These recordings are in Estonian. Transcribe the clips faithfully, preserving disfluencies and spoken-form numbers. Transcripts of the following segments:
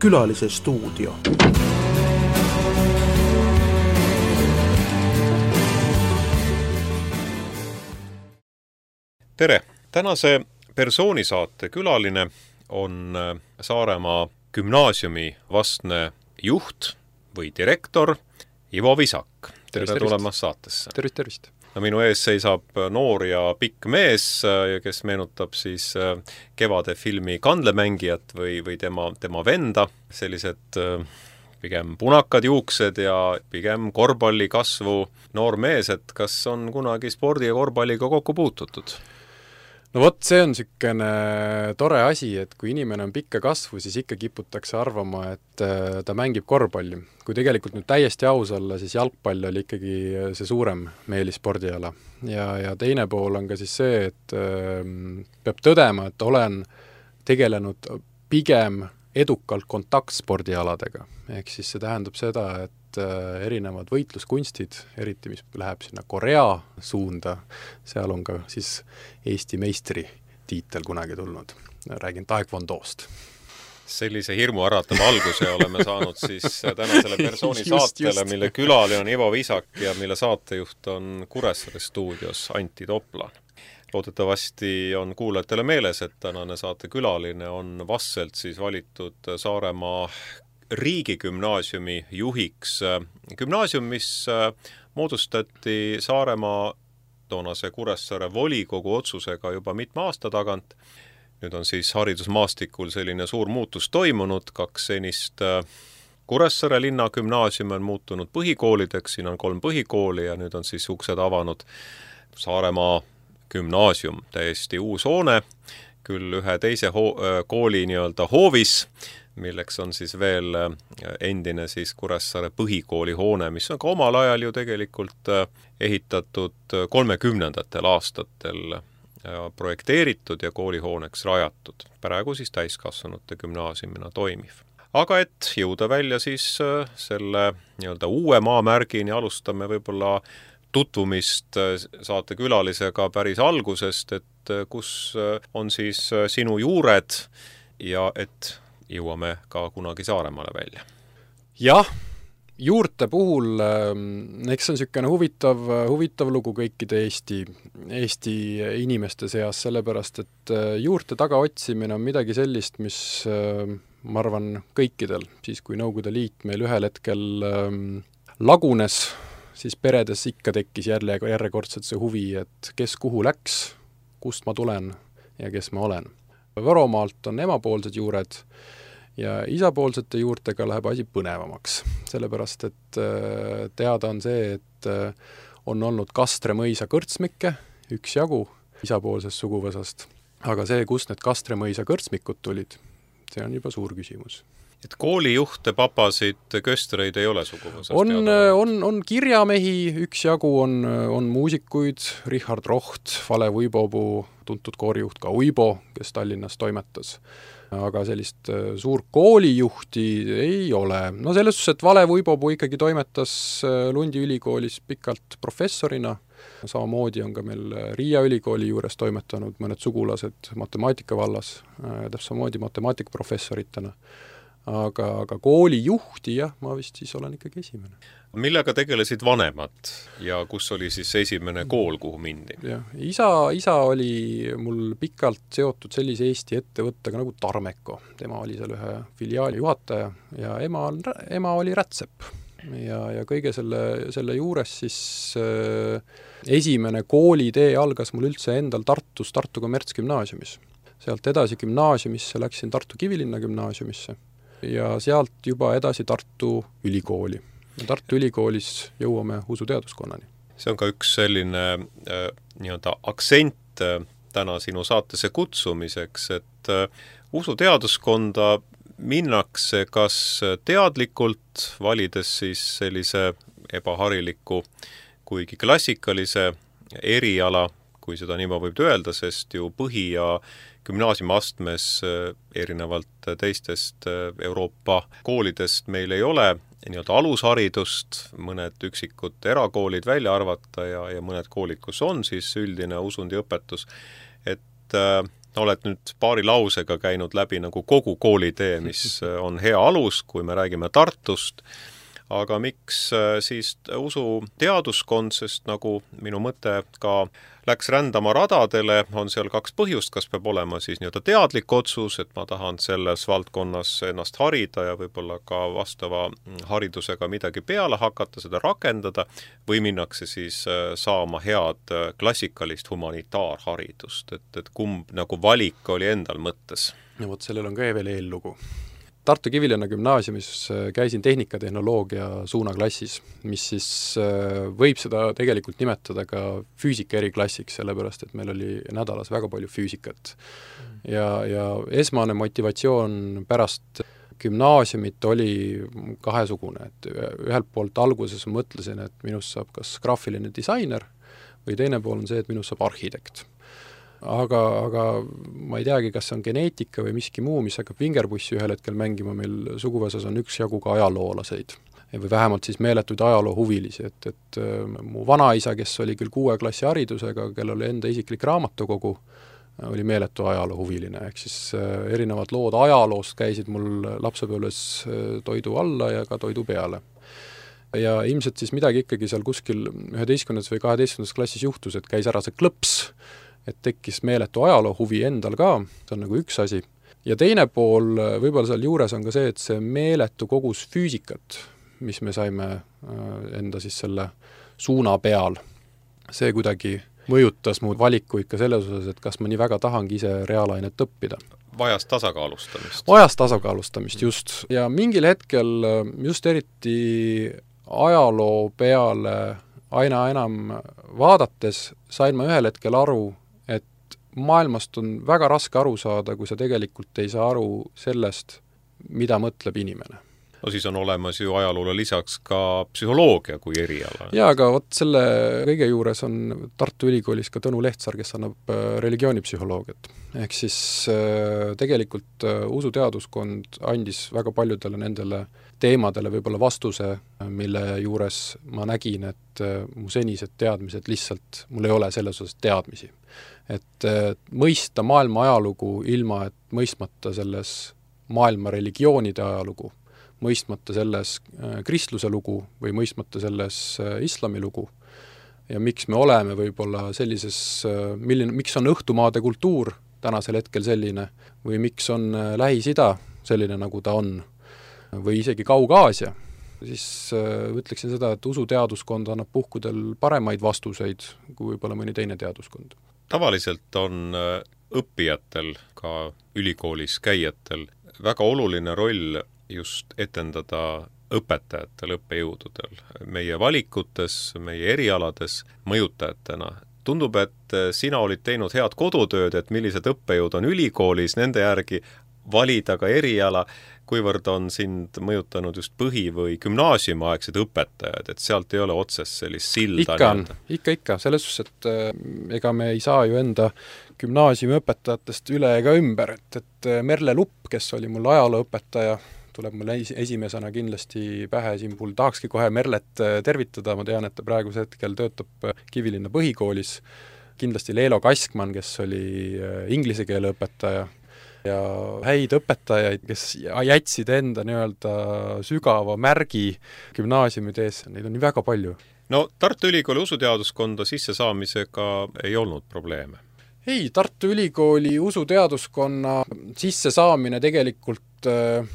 Külalise stuudio. Tere! Tänase persoonisaate külaline on Saaremaa gümnaasiumi vastne juht või direktor Ivo Visak. Tere tervist, tulemast saatesse. Tervist, tervist. No, minu ees seisab noor ja pikk mees, kes meenutab siis kevade filmi Kandlemängijat või, või tema, tema venda. Sellised pigem punakad juuksed ja pigem korvpalli kasvu noor mees, et kas on kunagi spordi ja korvpalliga kokku puututud? No vot, see on sükene tore asi, et kui inimene on pikka kasvu, siis ikka kiputakse arvama, et ta mängib korvpalli. Kui tegelikult nüüd täiesti aus olla, siis jalgpall oli ikkagi see suurem meelispordiala. Ja, ja teine pool on ka siis see, et äh, peab tõdema, et olen tegelenud pigem edukalt kontaktspordialadega. Ehk siis see tähendab seda, et erinevad võitluskunstid, eriti mis läheb sinna Korea suunda, seal on ka siis Eesti meistri tiitel kunagi tulnud. Räägin taekwondoost. Sellise hirmu äratava alguse oleme saanud siis tänasele persooni saatele, mille külaline on Ivo Visak ja mille saatejuht on Kuressaare stuudios Antti Toplan. Loodetavasti on kuulajatele meeles, et tänane saate külaline on vastselt siis valitud Saaremaa riigigümnaasiumi juhiks. Gümnaasium, mis moodustati Saaremaa toonase Kuressaare volikogu otsusega juba mitme aasta tagant. Nüüd on siis haridusmaastikul selline suur muutus toimunud, kaks senist Kuressaare linna gümnaasiumi on muutunud põhikoolideks, siin on kolm põhikooli ja nüüd on siis uksed avanud Saaremaa gümnaasium, täiesti uus hoone, küll ühe teise ho- kooli nii-öelda hoovis, milleks on siis veel endine siis Kuressaare põhikooli hoone, mis on ka omal ajal ju tegelikult ehitatud kolmekümnendatel aastatel projekteeritud ja koolihooneks rajatud. Praegu siis täiskasvanute gümnaasiumina toimiv. Aga et jõuda välja siis selle nii-öelda uue maamärgini, alustame võib-olla tutvumist saate külalisega päris algusest, et kus on siis sinu juured ja et jõuame ka kunagi Saaremaale välja. Jah, juurte puhul, eks see on sükene huvitav, huvitav lugu kõikide Eesti, Eesti inimeste seas, sellepärast, et juurte taga otsimine on midagi sellist, mis ma arvan kõikidel, siis kui Nõukogude Liit meil ühel hetkel lagunes, siis peredes ikka tekkis jälle järjekordselt see huvi, et kes kuhu läks, kust ma tulen ja kes ma olen. Võromaalt on emapoolsed juured ja isapoolsete juurtega läheb asi põnevamaks, sellepärast et teada on see, et on olnud Kastre mõisa kõrtsmikke, üks jagu isapoolsest suguvõsast, aga see, kust need Kastre mõisa kõrtsmikud tulid, see on juba suur küsimus. Et koolijuhte, papasid, köstreid ei ole suguvõsast? On, on, on kirjamehi, üks jagu on, on muusikuid, Richard Roht, Vale Uibobu, tuntud koorijuht ka Uibo, kes Tallinnas toimetas. Aga sellist suur koolijuhti ei ole. No selles suhtes, et Vale Uibobu ikkagi toimetas Lundi ülikoolis pikalt professorina. Samamoodi on ka meil Riia ülikooli juures toimetanud mõned sugulased matemaatika vallas, täpselt samamoodi matemaatikaprofessoritena. Aga, aga koolijuhti, jah, ma vist siis olen ikkagi esimene. Millega tegelesid vanemad ja kus oli siis esimene kool, kuhu mindi? Ja, isa, isa oli mul pikalt seotud sellise Eesti ettevõttega nagu Tarmeko. Tema oli seal ühe filiaali juhataja ja ema, ema oli Rätsep. Ja, ja kõige selle, selle juures siis äh, esimene koolitee algas mul üldse endal Tartus, Tartu kommertsgümnaasiumis. Sealt edasi gümnaasiumisse läksin Tartu Kivilinna gümnaasiumisse ja sealt juba edasi Tartu ülikooli. Tartu ülikoolis jõuame usuteaduskonnani. See on ka üks selline äh, nii-öelda aktsent äh, täna sinu saatesse kutsumiseks, et äh, usuteaduskonda minnakse kas teadlikult, valides siis sellise ebahariliku, kuigi klassikalise eriala, kui seda niimoodi võib öelda, sest ju põhi- ja gümnaasiumiastmes erinevalt teistest Euroopa koolidest meil ei ole nii-öelda alusharidust, mõned üksikud erakoolid välja arvata ja, ja mõned koolid, kus on siis üldine usundiõpetus, et oled nüüd paari lausega käinud läbi nagu kogu koolitee, mis on hea alus, kui me räägime Tartust, aga miks siis usu teaduskond, sest nagu minu mõte ka läks rändama radadele, on seal kaks põhjust, kas peab olema siis nii-öelda teadlik otsus, et ma tahan selles valdkonnas ennast harida ja võib-olla ka vastava haridusega midagi peale hakata, seda rakendada, või minnakse siis saama head klassikalist humanitaarharidust, et, et kumb nagu valik oli endal mõttes? Ja vot sellel on ka veel eellugu. Tartu Kivilinna gümnaasiumis käisin tehnikatehnoloogia suunaklassis, mis siis võib seda tegelikult nimetada ka füüsika eriklassiks, sellepärast et meil oli nädalas väga palju füüsikat. Ja, ja esmane motivatsioon pärast gümnaasiumit oli kahesugune, et ühelt poolt alguses mõtlesin, et minust saab kas graafiline disainer või teine pool on see, et minust saab arhitekt. Aga, aga ma ei teagi, kas see on geneetika või miski muu, mis hakkab vingerpussi ühel hetkel mängima, meil suguvõsas on üks jagu ka ajaloolaseid. Või vähemalt siis meeletuid ajaloohuvilisi, et, et mu vanaisa, kes oli küll kuue klassi haridusega, kellel oli enda isiklik raamatukogu, oli meeletu ajaloohuviline, ehk siis erinevad lood ajaloost käisid mul lapsepõlves toidu alla ja ka toidu peale. Ja ilmselt siis midagi ikkagi seal kuskil üheteistkümnendas või kaheteistkümnendas klassis juhtus, et käis ära see klõps, et tekkis meeletu ajaloohuvi endal ka, see on nagu üks asi. Ja teine pool võib-olla seal juures on ka see, et see meeletu kogus füüsikat, mis me saime enda siis selle suuna peal, see kuidagi mõjutas mu valikuid ka selles osas, et kas ma nii väga tahangi ise reaalainet õppida. Vajas tasakaalustamist. Vajas tasakaalustamist, just. Ja mingil hetkel just eriti ajaloo peale aina enam vaadates sain ma ühel hetkel aru, maailmast on väga raske aru saada, kui sa tegelikult ei saa aru sellest, mida mõtleb inimene. No siis on olemas ju ajaloole lisaks ka psühholoogia kui eriala. Jaa, aga vot selle kõige juures on Tartu Ülikoolis ka Tõnu Lehtsaar, kes annab religioonipsühholoogiat. Ehk siis tegelikult usuteaduskond andis väga paljudele nendele teemadele võib-olla vastuse, mille juures ma nägin, et mu senised teadmised lihtsalt, mul ei ole selles osas teadmisi. Et mõista maailma ajalugu ilma, et mõistmata selles maailma religioonide ajalugu, mõistmata selles kristluse lugu või mõistmata selles islami lugu ja miks me oleme võib-olla sellises, milline, miks on õhtumaade kultuur tänasel hetkel selline või miks on Lähis-Ida selline, nagu ta on või isegi Kaug-Aasia, siis ütleksin seda, et usuteaduskond annab puhkudel paremaid vastuseid kui võib-olla mõni teine teaduskond. Tavaliselt on õppijatel, ka ülikoolis käijatel, väga oluline roll just etendada õpetajatel, õppejõududel, meie valikutes, meie erialades mõjutajatena. Tundub, et sina olid teinud head kodutööd, et millised õppejõud on ülikoolis, nende järgi valida ka eriala, kuivõrd on sind mõjutanud just põhi- või gümnaasiumiaegsed õpetajad, et sealt ei ole otsest sellist silda. Ikka on, ikka, ikka, selles suhtes, et ega me ei saa ju enda gümnaasiumi õpetajatest üle ega ümber, et, et Merle Lupp, kes oli mul ajalooõpetaja, tuleb mulle esimesena kindlasti pähe, siin mul tahakski kohe Merlet tervitada, ma tean, et ta praeguse hetkel töötab Kivilinna põhikoolis, kindlasti Leelo Kaskman, kes oli inglise keele õpetaja, ja häid õpetajaid, kes jätsid enda nii-öelda sügava märgi gümnaasiumides, neid on nii väga palju. No Tartu Ülikooli usuteaduskonda sisse saamisega ei olnud probleeme? Ei, Tartu Ülikooli usuteaduskonna sisse saamine tegelikult äh,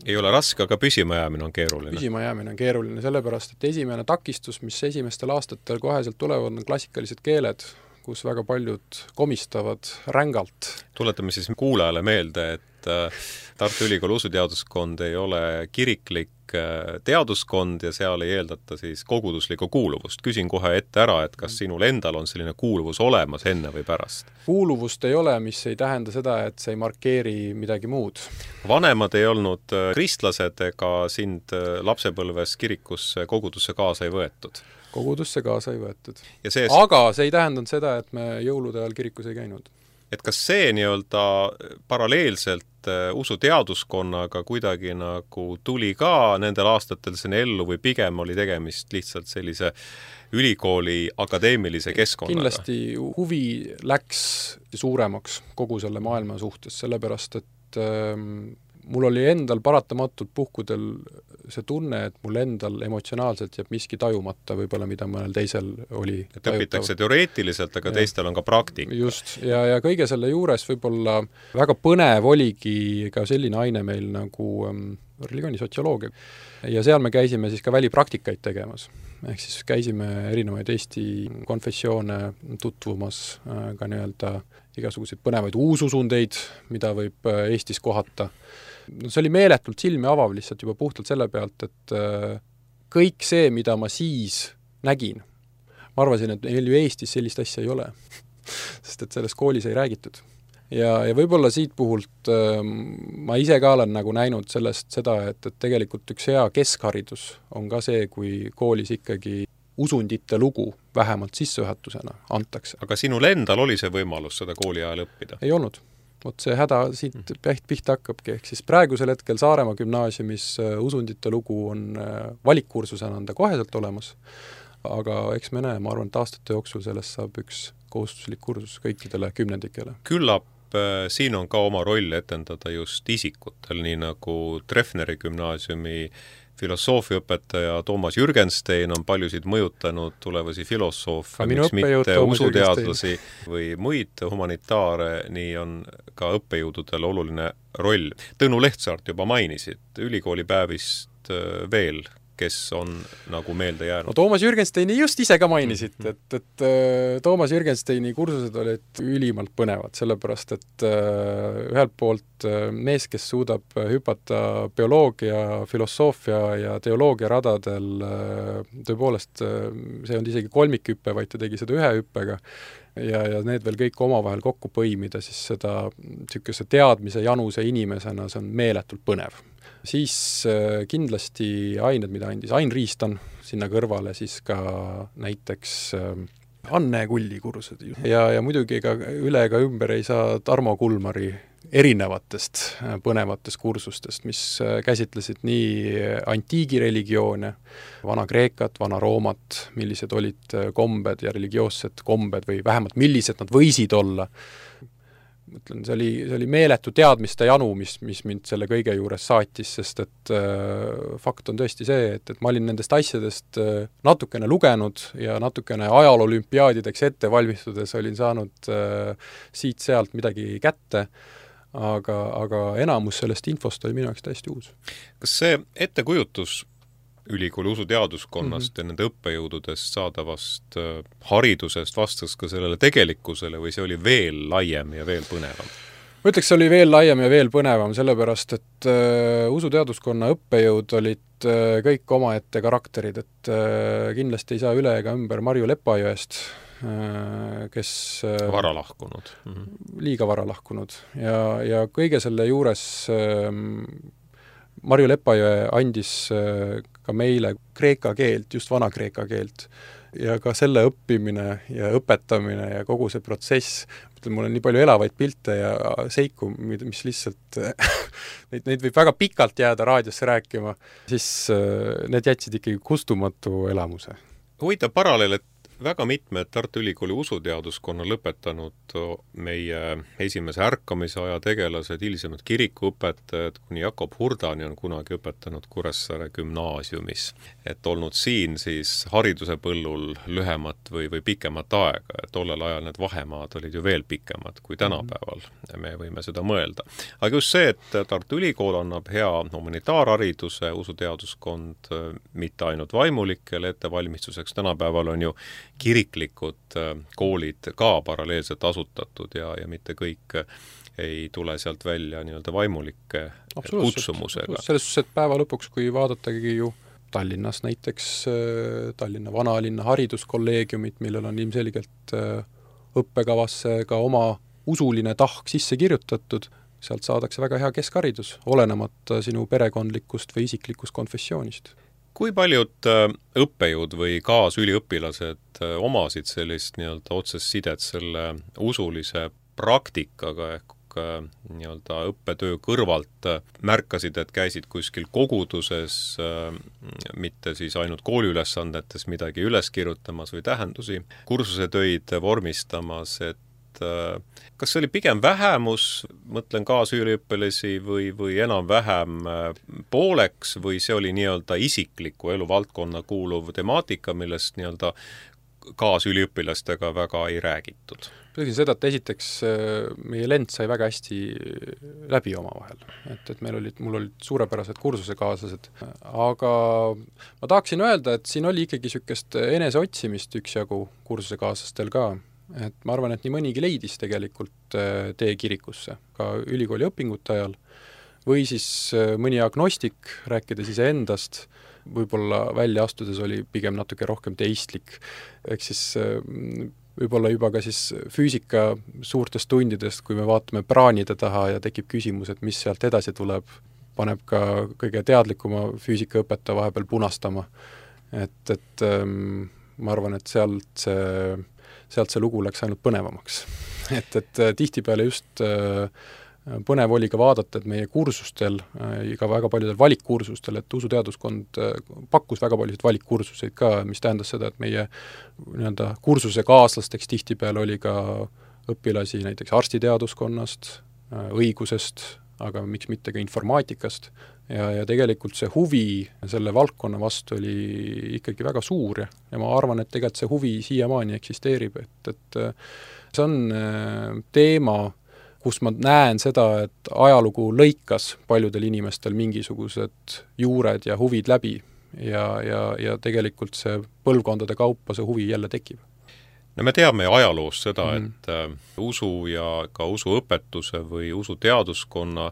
ei ole raske, aga püsima jäämine on keeruline. Püsima jäämine on keeruline, sellepärast, et esimene takistus, mis esimestel aastatel koheselt tulevad, on klassikalised keeled, kus väga paljud komistavad rängalt. Tuletame siis kuulajale meelde, et Tartu Ülikooli usuteaduskond ei ole kiriklik teaduskond ja seal ei eeldata siis koguduslikku kuuluvust. Küsin kohe ette ära, et kas sinul endal on selline kuuluvus olemas enne või pärast? Kuuluvust ei ole, mis ei tähenda seda, et see ei markeeri midagi muud. Vanemad ei olnud kristlased ega sind lapsepõlves kirikusse kogudusse kaasa ei võetud? Kogudusse kaasa ei võetud. See... Aga see ei tähendanud seda, et me jõulude ajal kirikus ei käinud. Et kas see nii-öelda paralleelselt et usuteaduskonnaga kuidagi nagu tuli ka nendel aastatel sinna ellu või pigem oli tegemist lihtsalt sellise ülikooli akadeemilise keskkonnaga? Kindlasti huvi läks suuremaks kogu selle maailma suhtes, sellepärast et ähm, mul oli endal paratamatult puhkudel see tunne, et mul endal emotsionaalselt jääb miski tajumata võib-olla, mida mõnel teisel oli et õpitakse teoreetiliselt, aga ja. Teistel on ka praktika. Just, ja, ja kõige selle juures võib-olla väga põnev oligi ka selline aine meil nagu ähm, religioonisotsioloogia. Ja seal me käisime siis ka välipraktikaid tegemas. Ehk siis käisime erinevaid Eesti konfessioone tutvumas äh, ka nii-öelda igasuguseid põnevaid uususundeid, mida võib äh, Eestis kohata. No, see oli meeletult silmi avav lihtsalt juba puhtalt selle pealt, et äh, kõik see, mida ma siis nägin, ma arvasin, et meil ju Eestis sellist asja ei ole, sest et selles koolis ei räägitud. Ja, ja võib-olla siit puhult äh, ma ise ka olen nagu näinud sellest seda, et, et tegelikult üks hea keskharidus on ka see, kui koolis ikkagi usundite lugu vähemalt sissejuhatusena antakse. Aga sinul endal oli see võimalus seda kooli ajal õppida? Ei olnud. Vot see häda siit päht pihta hakkabki, ehk siis praegusel hetkel Saaremaa gümnaasiumis usundite lugu on valikkursusena anda koheselt olemas, aga eks me näe, ma arvan, et aastate jooksul sellest saab üks kohustuslik kursus kõikidele kümnendikele. Küllap siin on ka oma roll etendada just isikutel, nii nagu Treffneri gümnaasiumi filosoofiaõpetaja Toomas Jürgenstein on paljusid mõjutanud tulevasi filosoofe, miks mitte usuteadlasi või muid humanitaare, nii on ka õppejõududel oluline roll. Tõnu Lehtsaart juba mainisid, ülikoolipäevist veel, kes on nagu meelde jäänud. No Toomas Jürgensteini just ise ka mainisid, et, et Toomas Jürgensteini kursused olid ülimalt põnevad, sellepärast et ühelt poolt mees, kes suudab hüpata bioloogia, filosoofia ja teoloogia radadel, tõepoolest see on isegi kolmikhüppe, vaid ta tegi seda ühe hüppega, ja, ja need veel kõik omavahel kokku põimida, siis seda niisuguse teadmise januse inimesena, see on meeletult põnev. Siis äh, kindlasti ained, mida andis Ain Riistan sinna kõrvale, siis ka näiteks äh, Anne Kulli kursud. Ja, ja muidugi ka üle ega ümber ei saa Tarmo Kulmari erinevatest äh, põnevatest kursustest, mis äh, käsitlesid nii antiigireligioone, Vana-Kreekat, Vana-Roomat, millised olid kombed ja religioossed kombed või vähemalt millised nad võisid olla. Mõtlen, see oli, see oli meeletu teadmiste janu, mis, mis mind selle kõige juures saatis, sest et äh, fakt on tõesti see, et, et ma olin nendest asjadest äh, natukene lugenud ja natukene ajaloolümpiaadideks ette valmistudes olin saanud äh, siit-sealt midagi kätte, aga, aga enamus sellest infost oli minu jaoks täiesti uus. Kas see ettekujutus ülikooli usuteaduskonnast mm-hmm. ja nende õppejõududest saadavast äh, haridusest vastas ka sellele tegelikkusele või see oli veel laiem ja veel põnevam? Ma ütleks, see oli veel laiem ja veel põnevam, sellepärast et äh, usuteaduskonna õppejõud olid äh, kõik omaette karakterid, et äh, kindlasti ei saa üle ega ümber Marju Lepajõest, äh, kes äh, vara lahkunud. Mm-hmm. Liiga vara lahkunud ja, ja kõige selle juures äh, Marju Lepajõe andis ka meile kreeka keelt, just vana-kreeka keelt. Ja ka selle õppimine ja õpetamine ja kogu see protsess, mul on nii palju elavaid pilte ja seiku, mis lihtsalt, neid, neid võib väga pikalt jääda raadiosse rääkima, siis need jätsid ikkagi kustumatu elamuse. Huvitav paralleel, et väga mitmed Tartu Ülikooli usuteaduskonna lõpetanud meie esimese ärkamise aja tegelased, hilisemad kirikuõpetajad, kuni Jakob Hurdani on kunagi õpetanud Kuressaare gümnaasiumis. Et olnud siin siis hariduse põllul lühemat või, või pikemat aega, et tollel ajal need vahemaad olid ju veel pikemad kui tänapäeval. Me võime seda mõelda. Aga just see, et Tartu Ülikool annab hea humanitaarhariduse, usuteaduskond mitte ainult vaimulikele ettevalmistuseks, tänapäeval on ju kiriklikud koolid ka paralleelselt asutatud ja, ja mitte kõik ei tule sealt välja nii-öelda vaimulike kutsumusega. Selles suhtes, et päeva lõpuks, kui vaadatagi ju Tallinnas näiteks Tallinna vanalinna hariduskolleegiumit, millel on ilmselgelt õppekavasse ka oma usuline tahk sisse kirjutatud, sealt saadakse väga hea keskharidus, olenemata sinu perekondlikust või isiklikust konfessioonist. Kui paljud õppejõud või kaasüliõpilased omasid sellist nii-öelda otsest sidet selle usulise praktikaga ehk nii-öelda õppetöö kõrvalt märkasid, et käisid kuskil koguduses, mitte siis ainult kooliülesandetes midagi üles kirjutamas või tähendusi, kursusetöid vormistamas, et kas see oli pigem vähemus, mõtlen kaasüliõpilasi või, või enam-vähem pooleks, või see oli nii-öelda isikliku eluvaldkonna kuuluv temaatika, millest nii-öelda kaasüliõpilastega väga ei räägitud? Ütlesin seda, et esiteks meie lend sai väga hästi läbi omavahel. Et, et meil olid, mul olid suurepärased kursusekaaslased. Aga ma tahaksin öelda, et siin oli ikkagi niisugust eneseotsimist üksjagu kursusekaaslastel ka. Et ma arvan, et nii mõnigi leidis tegelikult tee kirikusse ka ülikooli õpingute ajal, või siis mõni agnostik, rääkides ise endast, võib-olla välja astudes oli pigem natuke rohkem teistlik, ehk siis võib-olla juba ka siis füüsika suurtest tundidest, kui me vaatame praanide taha ja tekib küsimus, et mis sealt edasi tuleb, paneb ka kõige teadlikuma füüsikaõpetaja vahepeal punastama. Et, et ähm, ma arvan, et sealt see sealt see lugu läks ainult põnevamaks. et, et tihtipeale just põnev oli ka vaadata, et meie kursustel, ka väga paljudel valikkursustel, et usuteaduskond pakkus väga paljusid valikkursuseid ka, mis tähendas seda, et meie nii-öelda kursuse kaaslasteks tihtipeale oli ka õpilasi näiteks arstiteaduskonnast, õigusest, aga miks mitte ka informaatikast. Ja, ja tegelikult see huvi selle valdkonna vastu oli ikkagi väga suur ja, ja ma arvan, et tegelikult see huvi siiamaani eksisteerib, et, et see on teema, kus ma näen seda, et ajalugu lõikas paljudel inimestel mingisugused juured ja huvid läbi ja, ja, ja tegelikult see põlvkondade kaupa see huvi jälle tekib. No me teame ajaloost seda, mm. et äh, usu ja ka usuõpetuse või usuteaduskonna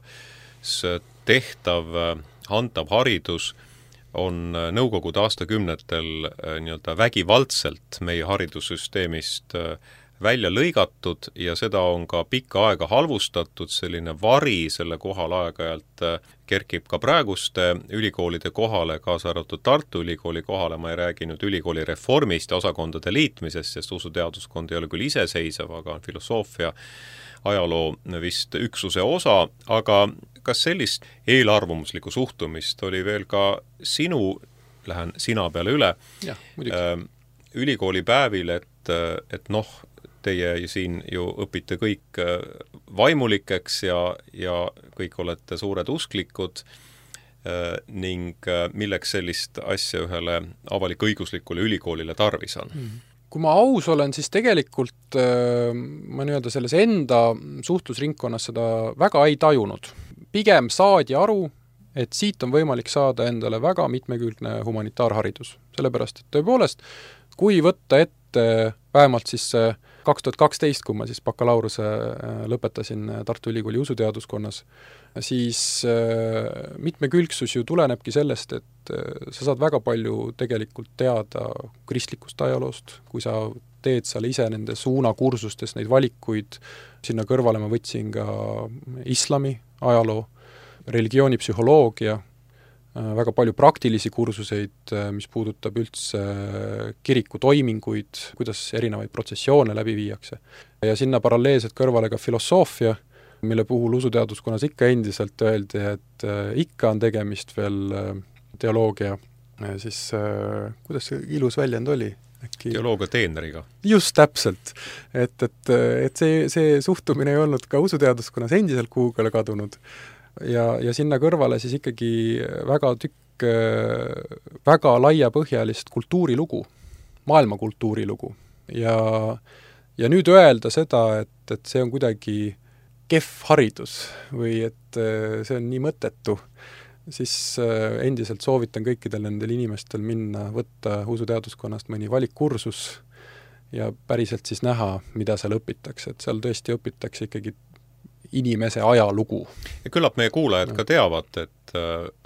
tehtav, antav haridus on nõukogude aastakümnetel nii-öelda vägivaldselt meie haridussüsteemist välja lõigatud ja seda on ka pikka aega halvustatud, selline vari selle kohal aeg-ajalt kerkib ka praeguste ülikoolide kohale, kaasa arvatud Tartu Ülikooli kohale, ma ei räägi nüüd ülikooli reformist ja osakondade liitmisest, sest usuteaduskond ei ole küll iseseisev, aga on filosoofia ajaloo vist üksuse osa, aga kas sellist eelarvamuslikku suhtumist oli veel ka sinu, lähen sina peale üle, ja, ülikooli päevil, et, et noh, teie siin ju õpite kõik vaimulikeks ja, ja kõik olete suured usklikud ning milleks sellist asja ühele avalik-õiguslikule ülikoolile tarvis on? Kui ma aus olen, siis tegelikult ma nii-öelda selles enda suhtlusringkonnas seda väga ei tajunud. Pigem saadi aru, et siit on võimalik saada endale väga mitmekülgne humanitaarharidus. Sellepärast, et tõepoolest, kui võtta ette vähemalt siis kaks tuhat kaksteist, kui ma siis bakalaureuse lõpetasin Tartu Ülikooli usuteaduskonnas, siis mitmekülgsus ju tulenebki sellest, et sa saad väga palju tegelikult teada kristlikust ajaloost, kui sa teed seal ise nende suunakursustes neid valikuid, sinna kõrvale ma võtsin ka islami ajaloo, religioonipsühholoogia, väga palju praktilisi kursuseid, mis puudutab üldse kiriku toiminguid, kuidas erinevaid protsessioone läbi viiakse. Ja sinna paralleelselt kõrvale ka filosoofia, mille puhul usuteaduskonnas ikka endiselt öeldi, et ikka on tegemist veel teoloogia, siis kuidas see ilus väljend oli? Äkki... teoloogia teeneriga. Just täpselt. Et, et, et see, see suhtumine ei olnud ka usuteaduskonnas endiselt kuhugale kadunud. Ja, ja sinna kõrvale siis ikkagi väga tükk, väga laiapõhjalist kultuurilugu, maailma kultuurilugu. Ja, ja nüüd öelda seda, et, et see on kuidagi kehv haridus või et see on nii mõttetu, siis endiselt soovitan kõikidel nendel inimestel minna, võtta usuteaduskonnast mõni valikkursus ja päriselt siis näha, mida seal õpitakse. Et seal tõesti õpitakse ikkagi inimese ajalugu. Ja küllap meie kuulajad ka teavad, et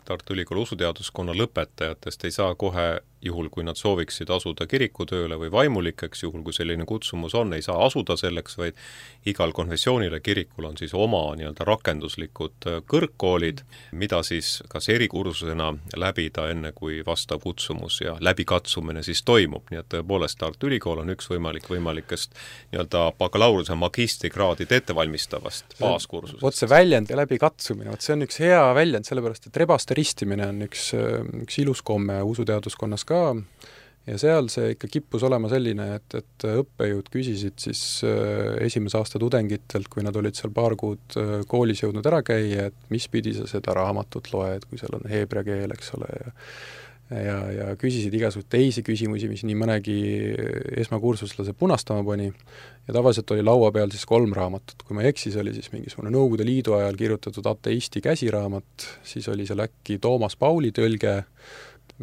Tartu Ülikooli usuteaduskonna lõpetajatest ei saa kohe, juhul kui nad sooviksid asuda kirikutööle või vaimulikeks, juhul kui selline kutsumus on, ei saa asuda selleks, vaid igal konfessioonile kirikul on siis oma nii-öelda rakenduslikud kõrgkoolid, mida siis kas erikursusena läbida enne, kui vastav kutsumus ja läbikatsumine siis toimub. Nii et tõepoolest Tartu Ülikool on üks võimalik võimalikest nii-öelda bakalaureuse magistrikraadid ettevalmistavast baaskursusest. Vot see väljend ja läbikatsumine, vot see on üks hea väljend, sellepärast et rebaste ristimine on üks, üks ilus komme usuteaduskonnas ka, ja seal see ikka kippus olema selline, et, et õppejõud küsisid siis esimese aasta tudengitelt, kui nad olid seal paar kuud koolis jõudnud ära käia, et mis pidi sa seda raamatut loed, kui seal on heebrea keel, eks ole, ja ja, ja küsisid igasugused teisi küsimusi, mis nii mõnegi esmakursuslase punastama pani, ja tavaliselt oli laua peal siis kolm raamatut. Kui ma ei eksis, oli siis mingisugune Nõukogude Liidu ajal kirjutatud ateisti käsiraamat, siis oli seal äkki Toomas Pauli tõlge,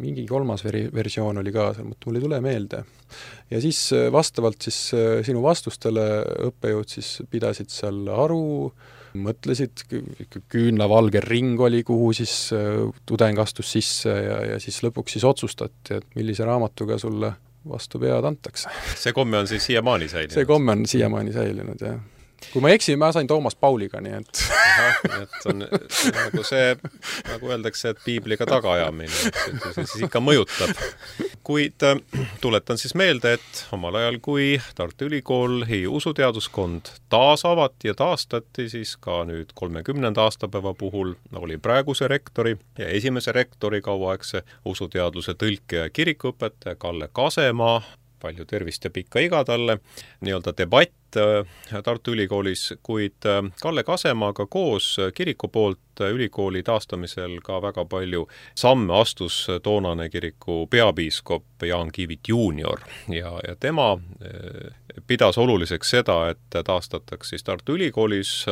mingi kolmas veri- versioon oli ka seal, mul ei tule meelde. Ja siis vastavalt siis sinu vastustele õppejõud siis pidasid seal aru, mõtlesid, küünlavalge ring oli, kuhu siis tudeng astus sisse ja, ja siis lõpuks siis otsustati, et millise raamatuga sulle vastu pead antakse. See komme on siis siiamaani säilinud? See komme on siiamaani säilinud, jah. Kui ma eksin, ma sain Toomas Pauliga, nii et... Aha, et on see, nagu see, nagu öeldakse, et piibliga tagaajamine, et see siis ikka mõjutab. Kuid tuletan siis meelde, et omal ajal, kui Tartu Ülikool ja usuteaduskond taas avati ja taastati, siis ka nüüd kolmekümnenda aastapäeva puhul oli praeguse rektori ja esimese rektori kauaaegse usuteadluse tõlke ja kirikuõpetaja Kalle Kasemaa, palju tervist ja pikka iga talle, nii-öelda debatt Tartu Ülikoolis, kuid Kalle Kasemaaga koos kiriku poolt ülikooli taastamisel ka väga palju samme astus toonane kiriku peapiiskop Jaan Kiivit juunior ja, ja tema pidas oluliseks seda, et taastataks siis Tartu Ülikoolis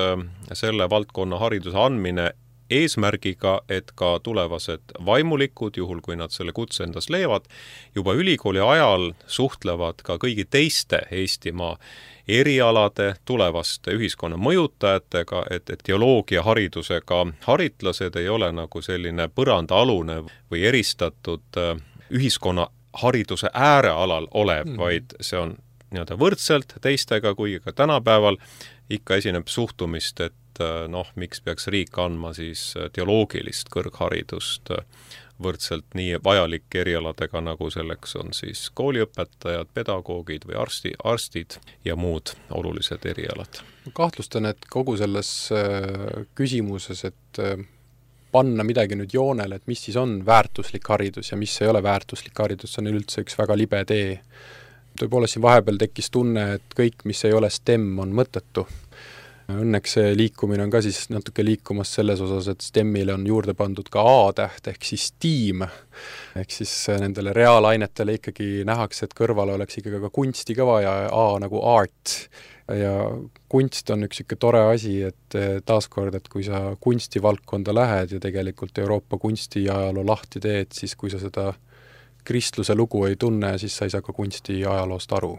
selle valdkonna hariduse andmine eesmärgiga, et ka tulevased vaimulikud, juhul kui nad selle kutse endas leiavad, juba ülikooli ajal suhtlevad ka kõigi teiste Eestimaa erialade tulevaste ühiskonna mõjutajatega, et, et teoloogia haridusega haritlased ei ole nagu selline põrandaalune või eristatud ühiskonna hariduse äärealal olev, mm. vaid see on nii-öelda võrdselt teistega, kuigi ka tänapäeval ikka esineb suhtumist, et noh, miks peaks riik andma siis teoloogilist kõrgharidust võrdselt nii vajalike erialadega, nagu selleks on siis kooliõpetajad, pedagoogid või arsti, arstid ja muud olulised erialad. Kahtlustan, et kogu selles küsimuses, et panna midagi nüüd joonele, et mis siis on väärtuslik haridus ja mis ei ole väärtuslik haridus, see on üldse üks väga libe tee. Tõepoolest siin vahepeal tekkis tunne, et kõik, mis ei ole STEM, on mõttetu. Õnneks see liikumine on ka siis natuke liikumas selles osas, et STEMile on juurde pandud ka A-täht ehk siis tiim. Ehk siis nendele reaalainetele ikkagi nähakse, et kõrvale oleks ikkagi ka kunsti ka vaja, A nagu art. Ja kunst on üks ikka tore asi, et taaskord, et kui sa kunstivaldkonda lähed ja tegelikult Euroopa kunstiajaloo lahti teed, siis kui sa seda kristluse lugu ei tunne, siis sa ei saa ka kunstiajaloost aru.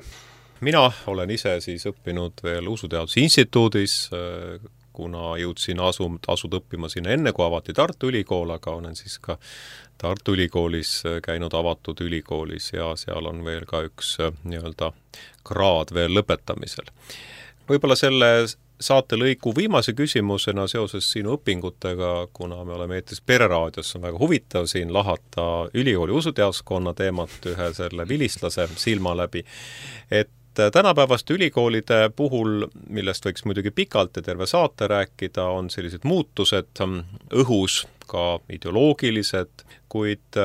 Mina olen ise siis õppinud veel Usuteaduse Instituudis, kuna jõudsin asum, asud õppima sinna enne, kui avati Tartu Ülikool, aga olen siis ka Tartu Ülikoolis käinud avatud ülikoolis ja seal on veel ka üks nii-öelda kraad veel lõpetamisel. Võib-olla selle saatelõigu viimase küsimusena seoses sinu õpingutega, kuna me oleme eetris Pereraadios, on väga huvitav siin lahata ülikooli usuteaduskonna teemat ühe selle vilistlase silma läbi, et tänapäevaste ülikoolide puhul, millest võiks muidugi pikalt ja terve saate rääkida, on sellised muutused õhus, ka ideoloogilised, kuid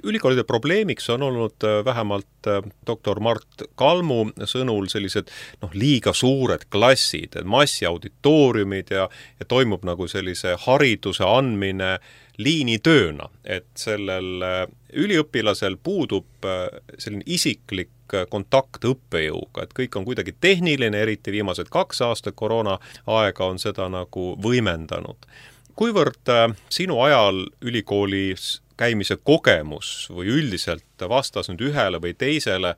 ülikoolide probleemiks on olnud vähemalt doktor Mart Kalmu sõnul sellised noh, liiga suured klassid, massiauditooriumid ja, ja toimub nagu sellise hariduse andmine liinitööna, et sellel üliõpilasel puudub selline isiklik kontakt õppejõuga, et kõik on kuidagi tehniline, eriti viimased kaks aastat koroona aega on seda nagu võimendanud. Kuivõrd sinu ajal ülikoolis käimise kogemus või üldiselt vastas nüüd ühele või teisele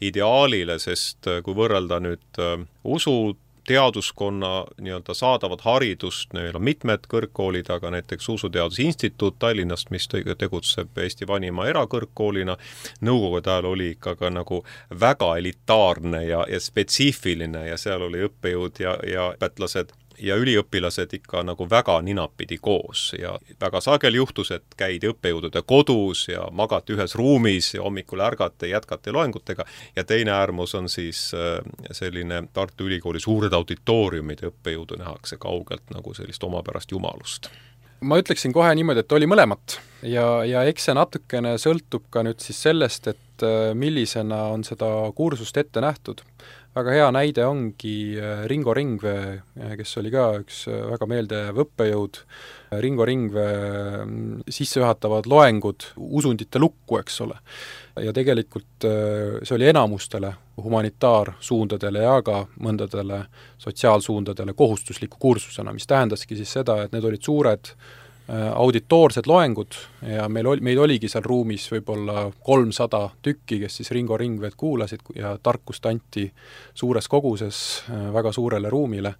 ideaalile, sest kui võrrelda nüüd usu teaduskonna nii-öelda saadavat haridust, neil on mitmed kõrgkoolid, aga näiteks Usuteaduse Instituut Tallinnast, mis tegutseb Eesti vanima erakõrgkoolina, nõukogude ajal oli ikka ka nagu väga elitaarne ja, ja spetsiifiline ja seal oli õppejõud ja, ja õpetlased ja üliõpilased ikka nagu väga ninapidi koos ja väga sageli juhtus, et käidi õppejõudude kodus ja magati ühes ruumis ja hommikul ärgati ja jätkati loengutega ja teine äärmus on siis selline Tartu Ülikooli suured auditooriumid, õppejõudu nähakse kaugelt nagu sellist omapärast jumalust. Ma ütleksin kohe niimoodi, et oli mõlemat ja, ja eks see natukene sõltub ka nüüd siis sellest, et millisena on seda kursust ette nähtud. Väga hea näide ongi Ringo Ringvee, kes oli ka üks väga meeldejääv õppejõud. Ringo Ringvee sissejuhatavad loengud usundite lukku, eks ole. Ja tegelikult see oli enamustele humanitaarsuundadele ja ka mõndadele sotsiaalsuundadele kohustusliku kursusena, mis tähendaski siis seda, et need olid suured auditoorsed loengud ja meil, oli, meil oligi seal ruumis võib-olla kolmsada tükki, kes siis Ringo Ringveed kuulasid ja tarkust anti suures koguses väga suurele ruumile.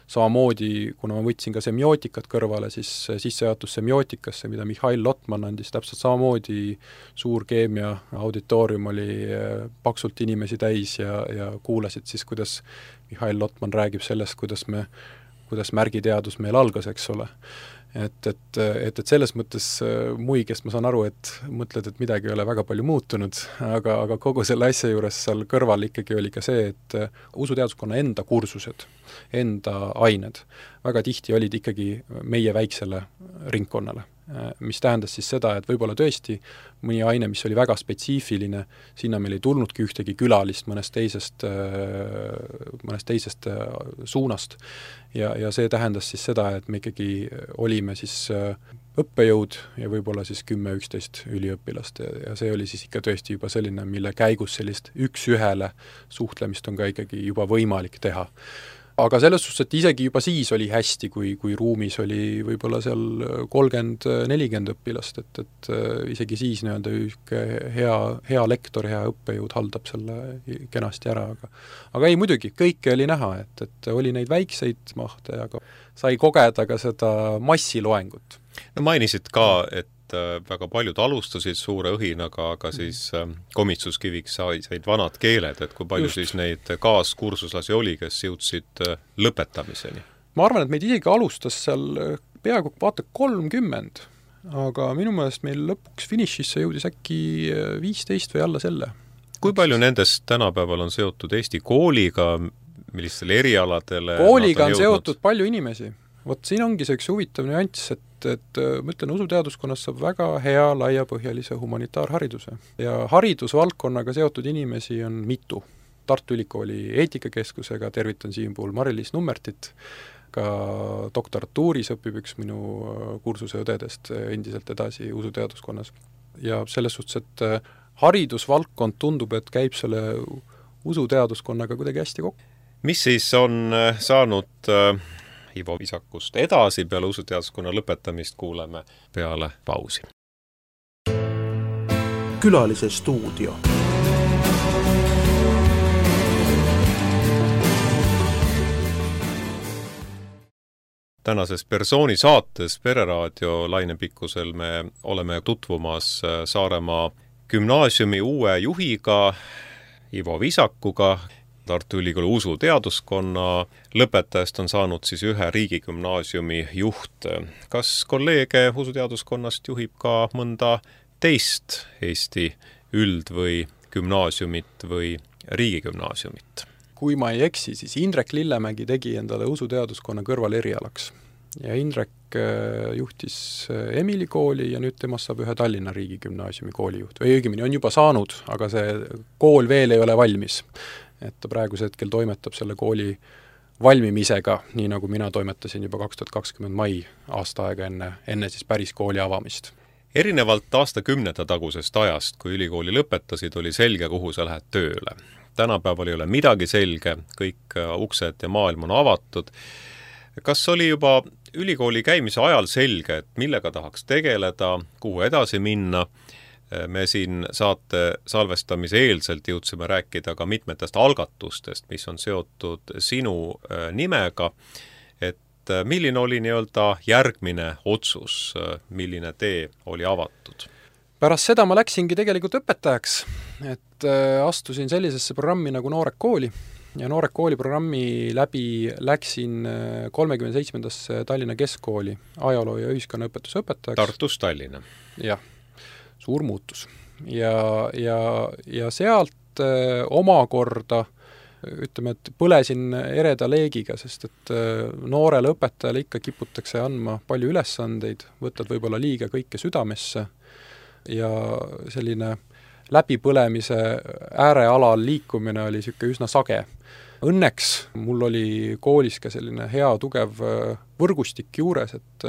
Samamoodi, kuna ma võtsin ka semiootikat kõrvale, siis sissejuhatus semiootikasse, mida Mihhail Lotman andis, täpselt samamoodi suur keemia auditoorium oli paksult inimesi täis ja, ja kuulasid siis, kuidas Mihhail Lotman räägib sellest, kuidas, me, kuidas märgiteadus meil algas, eks ole. Et, et, et, et selles mõttes muigest ma saan aru, et mõtled, et midagi ei ole väga palju muutunud, aga, aga kogu selle asja juures seal kõrval ikkagi oli ka see, et usuteaduskonna enda kursused, enda ained väga tihti olid ikkagi meie väiksele ringkonnale, mis tähendas siis seda, et võib-olla tõesti mõni aine, mis oli väga spetsiifiline, sinna meil ei tulnudki ühtegi külalist mõnest teisest, mõnest teisest suunast ja, ja see tähendas siis seda, et me ikkagi olime siis õppejõud ja võib-olla siis kümme üksteist üliõpilast ja, ja see oli siis ikka tõesti juba selline, mille käigus sellist üks-ühele suhtlemist on ka ikkagi juba võimalik teha. Aga selles suhtes, et isegi juba siis oli hästi, kui, kui ruumis oli võib-olla seal kolmkümmend nelikümmend õpilast, et, et isegi siis nii-öelda hea, hea lektor, hea õppejõud haldab selle kenasti ära, aga aga ei, muidugi, kõike oli näha, et, et oli neid väikseid mahte, aga sai kogeda ka seda massiloengut. No mainisid ka, et väga paljud alustasid suure õhinaga, aga siis komistuskiviks said vanad keeled, et kui palju Just. siis neid kaaskursuslasi oli, kes jõudsid lõpetamiseni? Ma arvan, et meid isegi alustas seal peaaegu vaata kolmkümmend, aga minu meelest meil lõpuks finišisse jõudis äkki viisteist või alla selle. Kui palju nendest tänapäeval on seotud Eesti kooliga, millistele erialadele? Kooliga on, on seotud palju inimesi. Vot siin ongi see üks huvitav nüanss, et, et ma ütlen, usuteaduskonnas saab väga hea laiapõhjalise humanitaarhariduse. Ja haridusvaldkonnaga seotud inimesi on mitu. Tartu Ülikooli eetikakeskusega tervitan siin puhul Mari-Liis Nummertit, ka doktoratuuris õpib üks minu kursuse õdedest endiselt edasi usuteaduskonnas. Ja selles suhtes, et haridusvaldkond tundub, et käib selle usuteaduskonnaga kuidagi hästi kokku. Mis siis on saanud Ivo Visakust edasi peale usuteaduskonna lõpetamist, kuuleme peale pausi. Külalise stuudio. Tänases persooni saates Pereraadio lainepikkusel me oleme tutvumas Saaremaa gümnaasiumi uue juhiga Ivo Visakuga. Tartu Ülikooli usuteaduskonna lõpetajast on saanud siis ühe riigigümnaasiumi juht. Kas kolleege usuteaduskonnast juhib ka mõnda teist Eesti üld- või gümnaasiumit või riigigümnaasiumit? Kui ma ei eksi, siis Indrek Lillemägi tegi endale usuteaduskonna kõrval erialaks. Ja Indrek juhtis Emili kooli ja nüüd temast saab ühe Tallinna riigigümnaasiumi koolijuht. Või õigemini on juba saanud, aga see kool veel ei ole valmis. Et ta praeguse hetkel toimetab selle kooli valmimisega, nii nagu mina toimetasin juba kaks tuhat kakskümmend mai aasta aega enne, enne siis päris kooli avamist. Erinevalt aastakümnete tagusest ajast, kui ülikooli lõpetasid, oli selge, kuhu sa lähed tööle. Tänapäeval ei ole midagi selge, kõik uksed ja maailm on avatud. Kas oli juba ülikooli käimise ajal selge, et millega tahaks tegeleda, kuhu edasi minna? Me siin saate salvestamise eelselt jõudsime rääkida ka mitmetest algatustest, mis on seotud sinu nimega, et milline oli nii-öelda järgmine otsus, milline tee oli avatud? Pärast seda ma läksingi tegelikult õpetajaks, et astusin sellisesse programmi nagu Noored kooli ja Noored kooli programmi läbi läksin kolmekümne seitsmendasse Tallinna Keskkooli ajaloo- ja ühiskonnaõpetuse õpetajaks. Tartus Tallinna. Jah, suur muutus. Ja, ja, ja sealt öö, omakorda ütleme, et põlesin ereda leegiga, sest et noorele õpetajale ikka kiputakse andma palju ülesandeid, võtad võib-olla liiga kõike südamesse ja selline läbipõlemise äärealal liikumine oli niisugune üsna sage. Õnneks mul oli koolis ka selline hea tugev võrgustik juures, et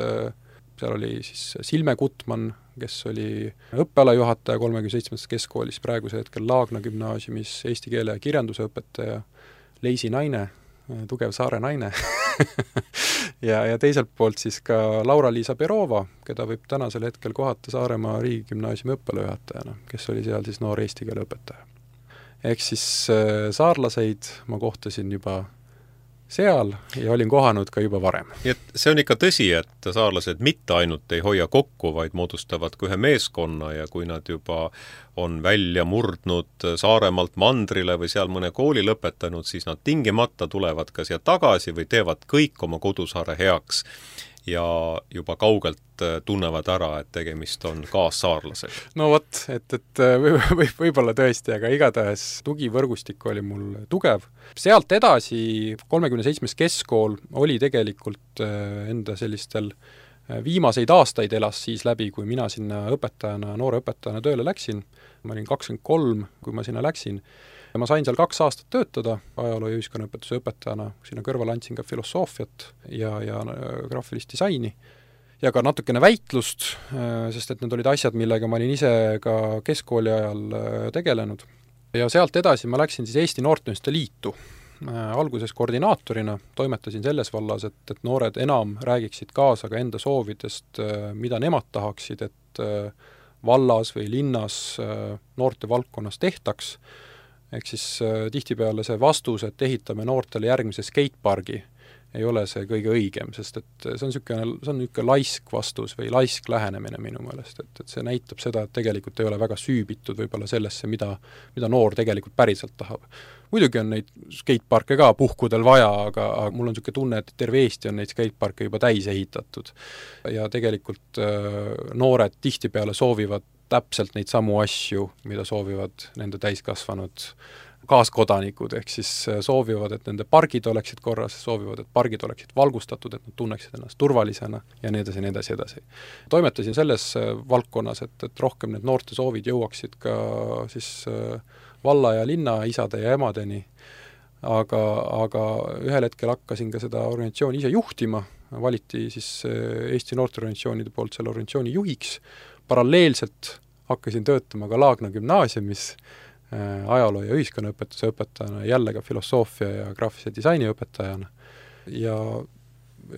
seal oli siis Silme Gutman, kes oli õppealajuhataja kolmekümne seitsmendas keskkoolis, praeguse hetkel Laagna gümnaasiumis eesti keele ja kirjanduse õpetaja, Leisi naine, tugev saare naine ja, ja teiselt poolt siis ka Laura-Liisa Perova, keda võib tänasel hetkel kohata Saaremaa riigigümnaasiumi õppealajuhatajana, kes oli seal siis noor eesti keele õpetaja. Ehk siis saarlaseid ma kohtasin juba seal ja olin kohanud ka juba varem. Et see on ikka tõsi, et saarlased mitte ainult ei hoia kokku, vaid moodustavad ka ühe meeskonna ja kui nad juba on välja murdnud Saaremaalt mandrile või seal mõne kooli lõpetanud, siis nad tingimata tulevad ka siia tagasi või teevad kõik oma kodusaare heaks ja juba kaugelt tunnevad ära, et tegemist on kaassaarlasega. No vot, et, et võib, võib, võib-olla tõesti, aga igatahes tugivõrgustik oli mul tugev. Sealt edasi kolmekümne seitsmes keskkool oli tegelikult enda sellistel viimaseid aastaid elas siis läbi, kui mina sinna õpetajana, noore õpetajana tööle läksin. Ma olin kakskümmend kolm, kui ma sinna läksin. Ja ma sain seal kaks aastat töötada ajaloo- ja ühiskonnaõpetuse õpetajana, sinna kõrval andsin ka filosoofiat ja, ja graafilist disaini ja ka natukene väitlust, sest et need olid asjad, millega ma olin ise ka keskkooli ajal tegelenud. Ja sealt edasi ma läksin siis Eesti Noorteühenduste Liitu. Alguses koordinaatorina toimetasin selles vallas, et, et noored enam räägiksid kaasa ka enda soovidest, mida nemad tahaksid, et vallas või linnas noorte valdkonnas tehtaks. Ehk siis tihtipeale see vastus, et ehitame noortele järgmise skatepargi, ei ole see kõige õigem, sest et see on niisugune, see on niisugune laisk vastus või laisk lähenemine minu meelest, et, et see näitab seda, et tegelikult ei ole väga süübitud võib-olla sellesse, mida, mida noor tegelikult päriselt tahab. Muidugi on neid skateparke ka puhkudel vaja, aga, aga mul on niisugune tunne, et terve Eesti on neid skateparke juba täis ehitatud. Ja tegelikult äh, noored tihtipeale soovivad täpselt neid samu asju, mida soovivad nende täiskasvanud kaaskodanikud, ehk siis soovivad, et nende pargid oleksid korras, soovivad, et pargid oleksid valgustatud, et nad tunneksid ennast turvalisena ja nii edasi, nii edasi, edasi. Toimetasin selles valdkonnas, et, et rohkem need noorte soovid jõuaksid ka siis valla ja linna isade ja emadeni, aga, aga ühel hetkel hakkasin ka seda organisatsiooni ise juhtima, valiti siis Eesti noorteorganisatsioonide poolt selle organisatsiooni juhiks, paralleelselt hakkasin töötama ka Laagna gümnaasiumis, ajaloo- ja ühiskonnaõpetuse õpetajana, jälle ka filosoofia ja graafilise disaini õpetajana. Ja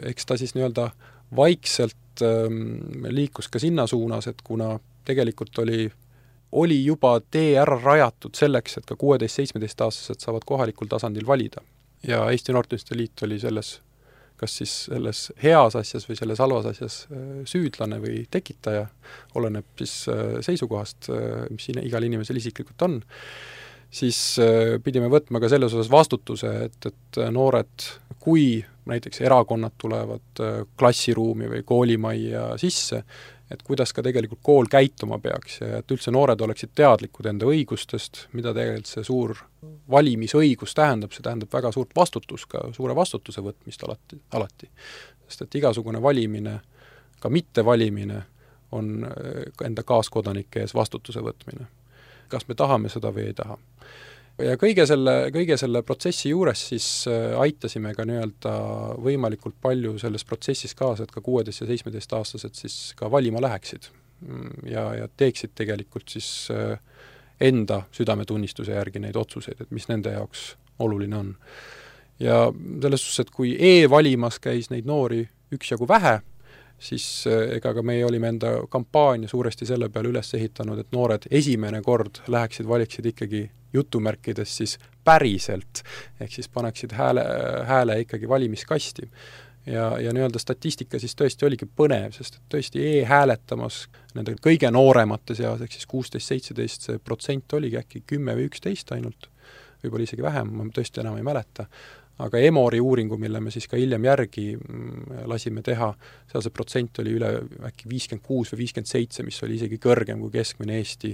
eks ta siis nii-öelda vaikselt ähm, liikus ka sinna suunas, et kuna tegelikult oli, oli juba tee ära rajatud selleks, et ka kuueteist-seitsmeteist-aastased saavad kohalikul tasandil valida. Ja Eesti Noorteühenduste Liit oli selles, kas siis selles heas asjas või selles halvas asjas süüdlane või tekitaja, oleneb siis seisukohast, mis igal inimesel isiklikult on, siis pidime võtma ka selles osas vastutuse, et, et noored, kui näiteks erakonnad tulevad klassiruumi või koolimajja sisse, et kuidas ka tegelikult kool käituma peaks ja et üldse noored oleksid teadlikud enda õigustest, mida tegelikult see suur valimisõigus tähendab, see tähendab väga suurt vastutus, ka suure vastutuse võtmist alati, alati. Sest et igasugune valimine, ka mitte valimine, on enda kaaskodanike ees vastutuse võtmine. Kas me tahame seda või ei taha? Ja kõige selle, kõige selle protsessi juures siis aitasime ka nii-öelda võimalikult palju selles protsessis kaasa, et ka kuueteist- ja seitsmeteist-aastased siis ka valima läheksid ja, ja teeksid tegelikult siis enda südametunnistuse järgi neid otsuseid, et mis nende jaoks oluline on. Ja selles suhtes, et kui e-valimas käis neid noori üksjagu vähe, siis ega ka meie olime enda kampaania suuresti selle peale üles ehitanud, et noored esimene kord läheksid, valiksid ikkagi jutumärkides siis päriselt, ehk siis paneksid hääle, hääle ikkagi valimiskasti. Ja, ja nii-öelda statistika siis tõesti oligi põnev, sest tõesti e-hääletamas nende kõige nooremate seas, ehk siis kuusteist seitseteist, see protsent oligi äkki kümme või üksteist ainult, võib-olla isegi vähem, ma tõesti enam ei mäleta, aga Emori uuringu, mille me siis ka hiljem järgi lasime teha, seal see protsent oli üle äkki viiskümmend kuus või viiskümmend seitse, mis oli isegi kõrgem kui keskmine Eesti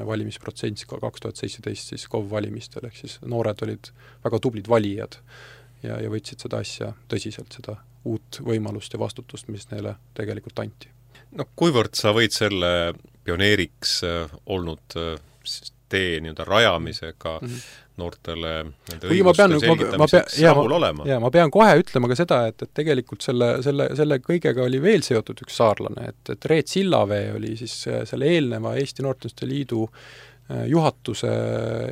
valimisprotsent kaks tuhat seitseteist siis K O V valimistel, ehk siis noored olid väga tublid valijad ja, ja võtsid seda asja tõsiselt, seda uut võimalust ja vastutust, mis neile tegelikult anti. No kuivõrd sa võid selle pioneeriks olnud tee nii-öelda rajamisega mm -hmm. noortele nende õiguste selgitamiseks rahul olema? Jaa, ma pean kohe ütlema ka seda, et, et tegelikult selle, selle, selle kõigega oli veel seotud üks saarlane, et, et Reet Sillavee oli siis selle eelneva Eesti Noorteühenduste Liidu juhatuse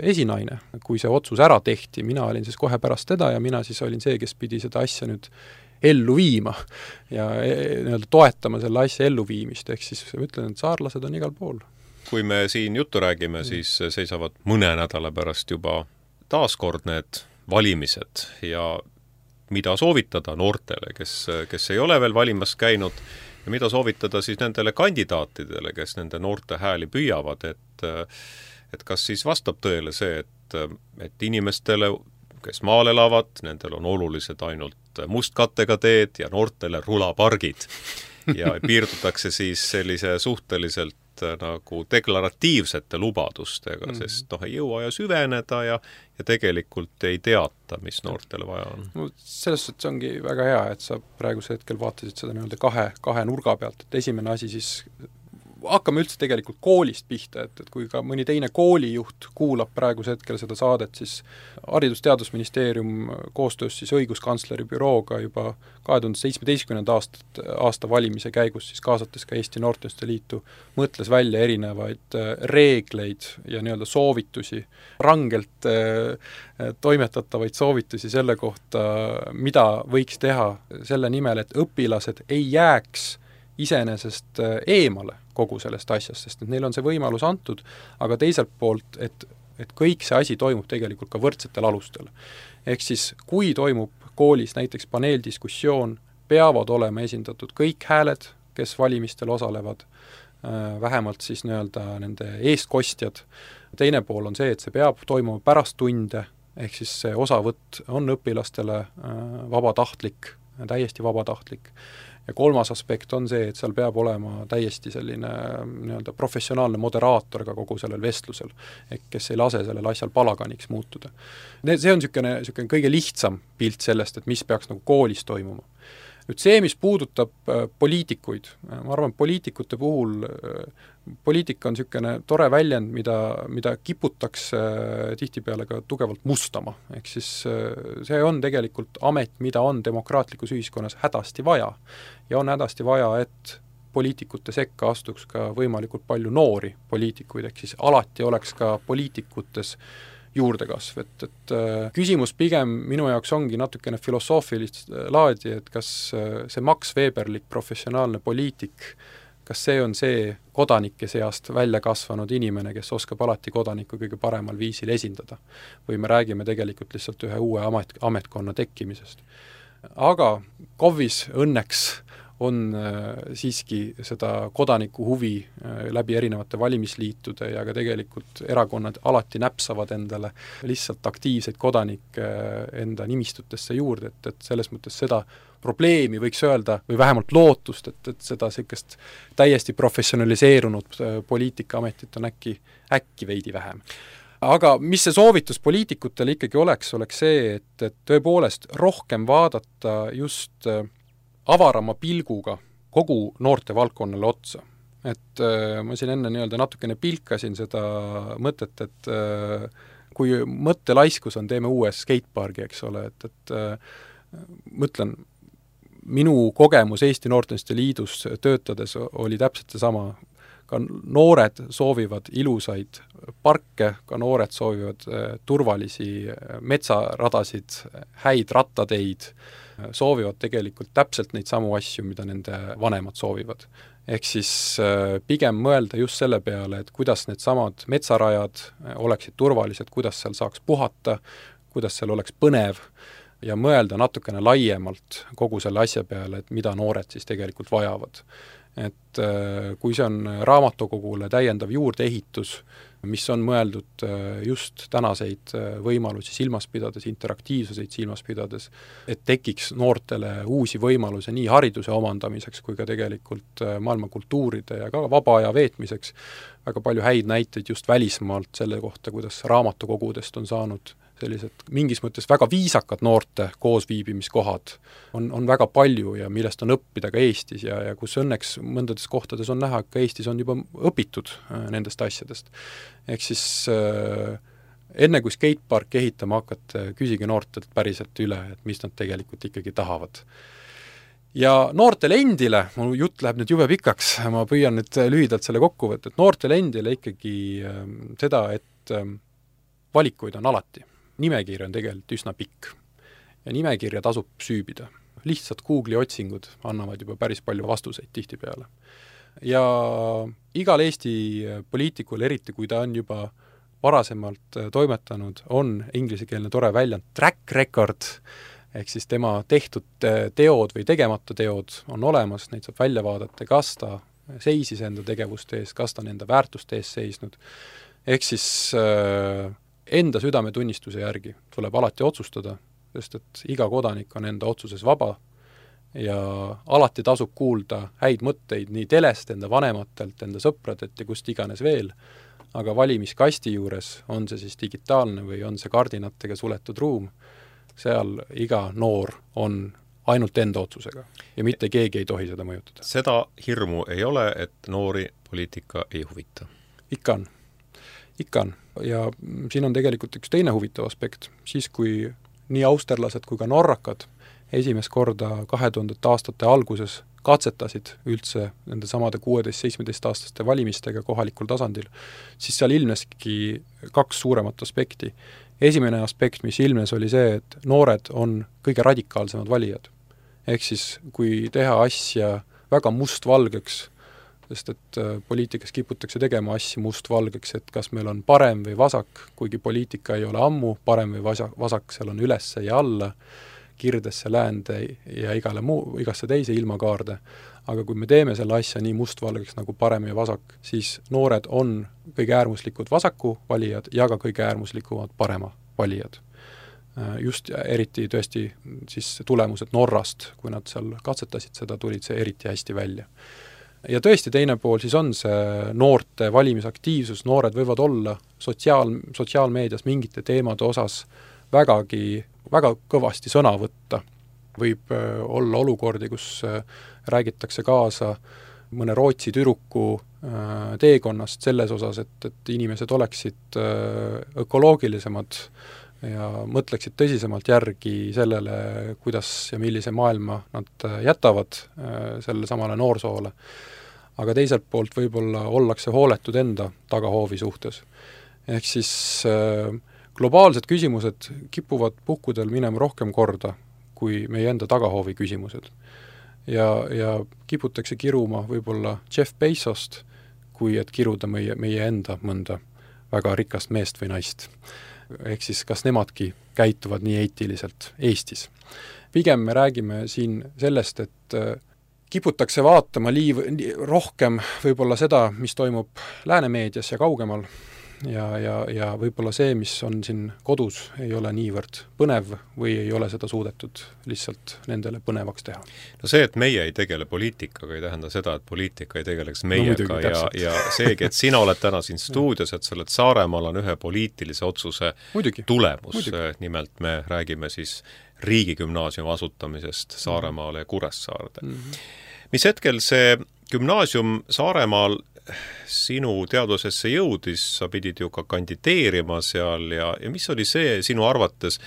esinaine, kui see otsus ära tehti, mina olin siis kohe pärast teda ja mina siis olin see, kes pidi seda asja nüüd ellu viima ja nii-öelda toetama selle asja elluviimist, ehk siis ütlen, et saarlased on igal pool. Kui me siin juttu räägime, siis seisavad mõne nädala pärast juba taaskord need valimised ja mida soovitada noortele, kes, kes ei ole veel valimas käinud ja mida soovitada siis nendele kandidaatidele, kes nende noorte hääli püüavad, et, et kas siis vastab tõele see, et, et inimestele, kes maal elavad, nendel on olulised ainult mustkattega teed ja noortele rulapargid ja piirdutakse siis sellise suhteliselt nagu deklaratiivsete lubadustega, mm -hmm. sest noh, ei jõua ja süveneda ja, ja tegelikult ei teata, mis noortele vaja on. No, selles suhtes ongi väga hea, et sa praegusel hetkel vaatasid seda nii-öelda kahe, kahe nurga pealt, et esimene asi siis hakkame üldse tegelikult koolist pihta, et, et kui ka mõni teine koolijuht kuulab praegusel hetkel seda saadet, siis Haridus-Teadusministeerium koostöös siis õiguskantsleri bürooga juba kahe tuhande seitsmeteistkümnenda aasta, aasta valimise käigus siis kaasates ka Eesti Noorteühenduste Liitu, mõtles välja erinevaid reegleid ja nii-öelda soovitusi, rangelt äh, toimetatavaid soovitusi selle kohta, mida võiks teha selle nimel, et õpilased ei jääks iseenesest eemale kogu sellest asjast, sest et neil on see võimalus antud, aga teiselt poolt, et, et kõik see asi toimub tegelikult ka võrdsetel alustel. Ehk siis, kui toimub koolis näiteks paneeldiskussioon, peavad olema esindatud kõik hääled, kes valimistel osalevad, vähemalt siis nii-öelda nende eestkostjad. Teine pool on see, et see peab toimuma pärast tunde, ehk siis see osavõtt on õpilastele vabatahtlik, täiesti vabatahtlik. Ja kolmas aspekt on see, et seal peab olema täiesti selline nii-öelda professionaalne moderaator ka kogu sellel vestlusel, ehk kes ei lase sellel asjal palaganiks muutuda. See on niisugune, niisugune kõige lihtsam pilt sellest, et mis peaks nagu koolis toimuma. Nüüd see, mis puudutab poliitikuid, ma arvan, poliitikute puhul, poliitika on niisugune tore väljend, mida, mida kiputakse tihtipeale ka tugevalt mustama. Ehk siis see on tegelikult amet, mida on demokraatlikus ühiskonnas hädasti vaja. Ja on hädasti vaja, et poliitikute sekka astuks ka võimalikult palju noori poliitikuid, ehk siis alati oleks ka poliitikutes juurdekasv, et, et küsimus pigem minu jaoks ongi natukene filosoofilist laadi, et kas see Max Weberlik professionaalne poliitik, kas see on see kodanike seast välja kasvanud inimene, kes oskab alati kodanikku kõige paremal viisil esindada. Või me räägime tegelikult lihtsalt ühe uue amet, ametkonna tekkimisest. Aga K O V-is õnneks on äh, siiski seda kodaniku huvi äh, läbi erinevate valimisliitude ja ka tegelikult erakonnad alati näpsavad endale lihtsalt aktiivseid kodanikke äh, enda nimistutesse juurde, et, et selles mõttes seda probleemi võiks öelda, või vähemalt lootust, et, et seda sellist täiesti professionaliseerunud äh, poliitikaametit on äkki, äkki veidi vähem. Aga mis see soovitus poliitikutele ikkagi oleks, oleks see, et, et tõepoolest rohkem vaadata just äh, avarama pilguga kogu noorte valdkonnale otsa. Et äh, ma siin enne nii-öelda natukene pilkasin seda mõtet, et äh, kui mõttelaiskus on, teeme uue skatepargi, eks ole, et, et äh, mõtlen, minu kogemus Eesti Noorteühenduste Liidus töötades oli täpselt seesama. Ka noored soovivad ilusaid parke, ka noored soovivad äh, turvalisi metsaradasid, häid rattateid, soovivad tegelikult täpselt neid samu asju, mida nende vanemad soovivad. Ehk siis pigem mõelda just selle peale, et kuidas need samad metsarajad oleksid turvalised, kuidas seal saaks puhata, kuidas seal oleks põnev ja mõelda natukene laiemalt kogu selle asja peale, et mida noored siis tegelikult vajavad. Et kui see on raamatukogule täiendav juurdeehitus, mis on mõeldud just tänaseid võimalusi silmas pidades, interaktiivsuseid silmas pidades, et tekiks noortele uusi võimalusi nii hariduse omandamiseks kui ka tegelikult maailma kultuuride ja ka vaba aja veetmiseks. Väga palju häid näiteid just välismaalt selle kohta, kuidas raamatukogudest on saanud sellised mingis mõttes väga viisakad noorte koosviibimiskohad on, on väga palju ja millest on õppida ka Eestis ja, ja kus õnneks mõndades kohtades on näha, et ka Eestis on juba õpitud nendest asjadest. Ehk siis äh, enne kui skatepark ehitama hakata, küsige noortelt päriselt üle, et mis nad tegelikult ikkagi tahavad. Ja noortele endile, mu jutt läheb nüüd jube pikaks, ma püüan nüüd lühidalt selle kokku võtta, et noortele endile ikkagi äh, seda, et äh, valikuid on alati. Nimekirja on tegelikult üsna pikk ja nimekirja tasub süübida. Lihtsalt Google'i otsingud annavad juba päris palju vastuseid tihtipeale. Ja igal Eesti poliitikul, eriti kui ta on juba varasemalt toimetanud, on inglisekeelne tore väljend track record, ehk siis tema tehtud teod või tegemata teod on olemas, neid saab välja vaadata, kas ta seisis enda tegevuste ees, kas ta on enda väärtuste ees seisnud. Ehk siis äh, enda südametunnistuse järgi tuleb alati otsustada, sest et iga kodanik on enda otsuses vaba ja alati tasub kuulda häid mõtteid nii telest, enda vanematelt, enda sõpradelt ja kust iganes veel, aga valimiskasti juures, on see siis digitaalne või on see kardinatega suletud ruum, seal iga noor on ainult enda otsusega ja mitte keegi ei tohi seda mõjutada. Seda hirmu ei ole, et noori poliitika ei huvita? Ikka on. Ikka on. Ja siin on tegelikult üks teine huvitav aspekt. Siis, kui nii austerlased kui ka norrakad esimest korda kahe tuhandete aastate alguses katsetasid üldse nende samade kuueteist seitsmeteist aastaste valimistega kohalikul tasandil, siis seal ilmneski kaks suuremat aspekti. Esimene aspekt, mis ilmnes, oli see, et noored on kõige radikaalsemad valijad. Ehk siis, kui teha asja väga mustvalgeks, sest et poliitikas kiputakse tegema asju mustvalgeks, et kas meil on parem või vasak, kuigi poliitika ei ole ammu parem või vasak, vasak seal on ülesse ja alla, kirdesse, läände ja igale muu, igasse teise ilmakaarde. Aga kui me teeme selle asja nii mustvalgeks nagu parem ja vasak, siis noored on kõige äärmuslikud vasaku valijad ja ka kõige äärmuslikumad parema valijad. Just eriti tõesti siis tulemused Norrast, kui nad seal katsetasid seda, tulid see eriti hästi välja. Ja tõesti teine pool siis on see noorte valimisaktiivsus, noored võivad olla sotsiaal, sotsiaalmeedias mingite teemade osas vägagi, väga kõvasti sõna võtta. Võib olla olukordi, kus räägitakse kaasa mõne Rootsi tüdruku teekonnast selles osas, et, et inimesed oleksid ökoloogilisemad ja mõtleksid tõsisemalt järgi sellele, kuidas ja millise maailma nad jätavad selle samale noorsoole. Aga teiselt poolt võib-olla ollakse hooletud enda tagahoovi suhtes. Ehk siis globaalsed küsimused kipuvad puhkudel minema rohkem korda kui meie enda tagahoovi küsimused. Ja, ja kiputakse kiruma võib-olla Jeff Bezost, kui et kiruda meie, meie enda mõnda väga rikast meest või naist. Ehk siis kas nemadki käituvad nii eetiliselt Eestis. Pigem me räägime siin sellest, et kiputakse vaatama liiv, rohkem võib-olla seda, mis toimub läänemeedias ja kaugemal ja, ja, ja võib-olla see, mis on siin kodus, ei ole niivõrd põnev või ei ole seda suudetud lihtsalt nendele põnevaks teha. No see, et meie ei tegele poliitikaga, ei tähenda seda, et poliitika ei tegeleks meiega no, muidugi, ja, ja seegi, et sina oled täna siin stuudios, et sa oled Saaremaal on ühe poliitilise otsuse muidugi, tulemus. Muidugi. Nimelt me räägime siis riigigümnaasiumi asutamisest Saaremaale ja Kuressaarde. Mm-hmm. Mis hetkel see gümnaasium Saaremaal sinu teadvusesse jõudis, sa pidid ju ka kandideerima seal ja, ja mis oli see sinu arvates,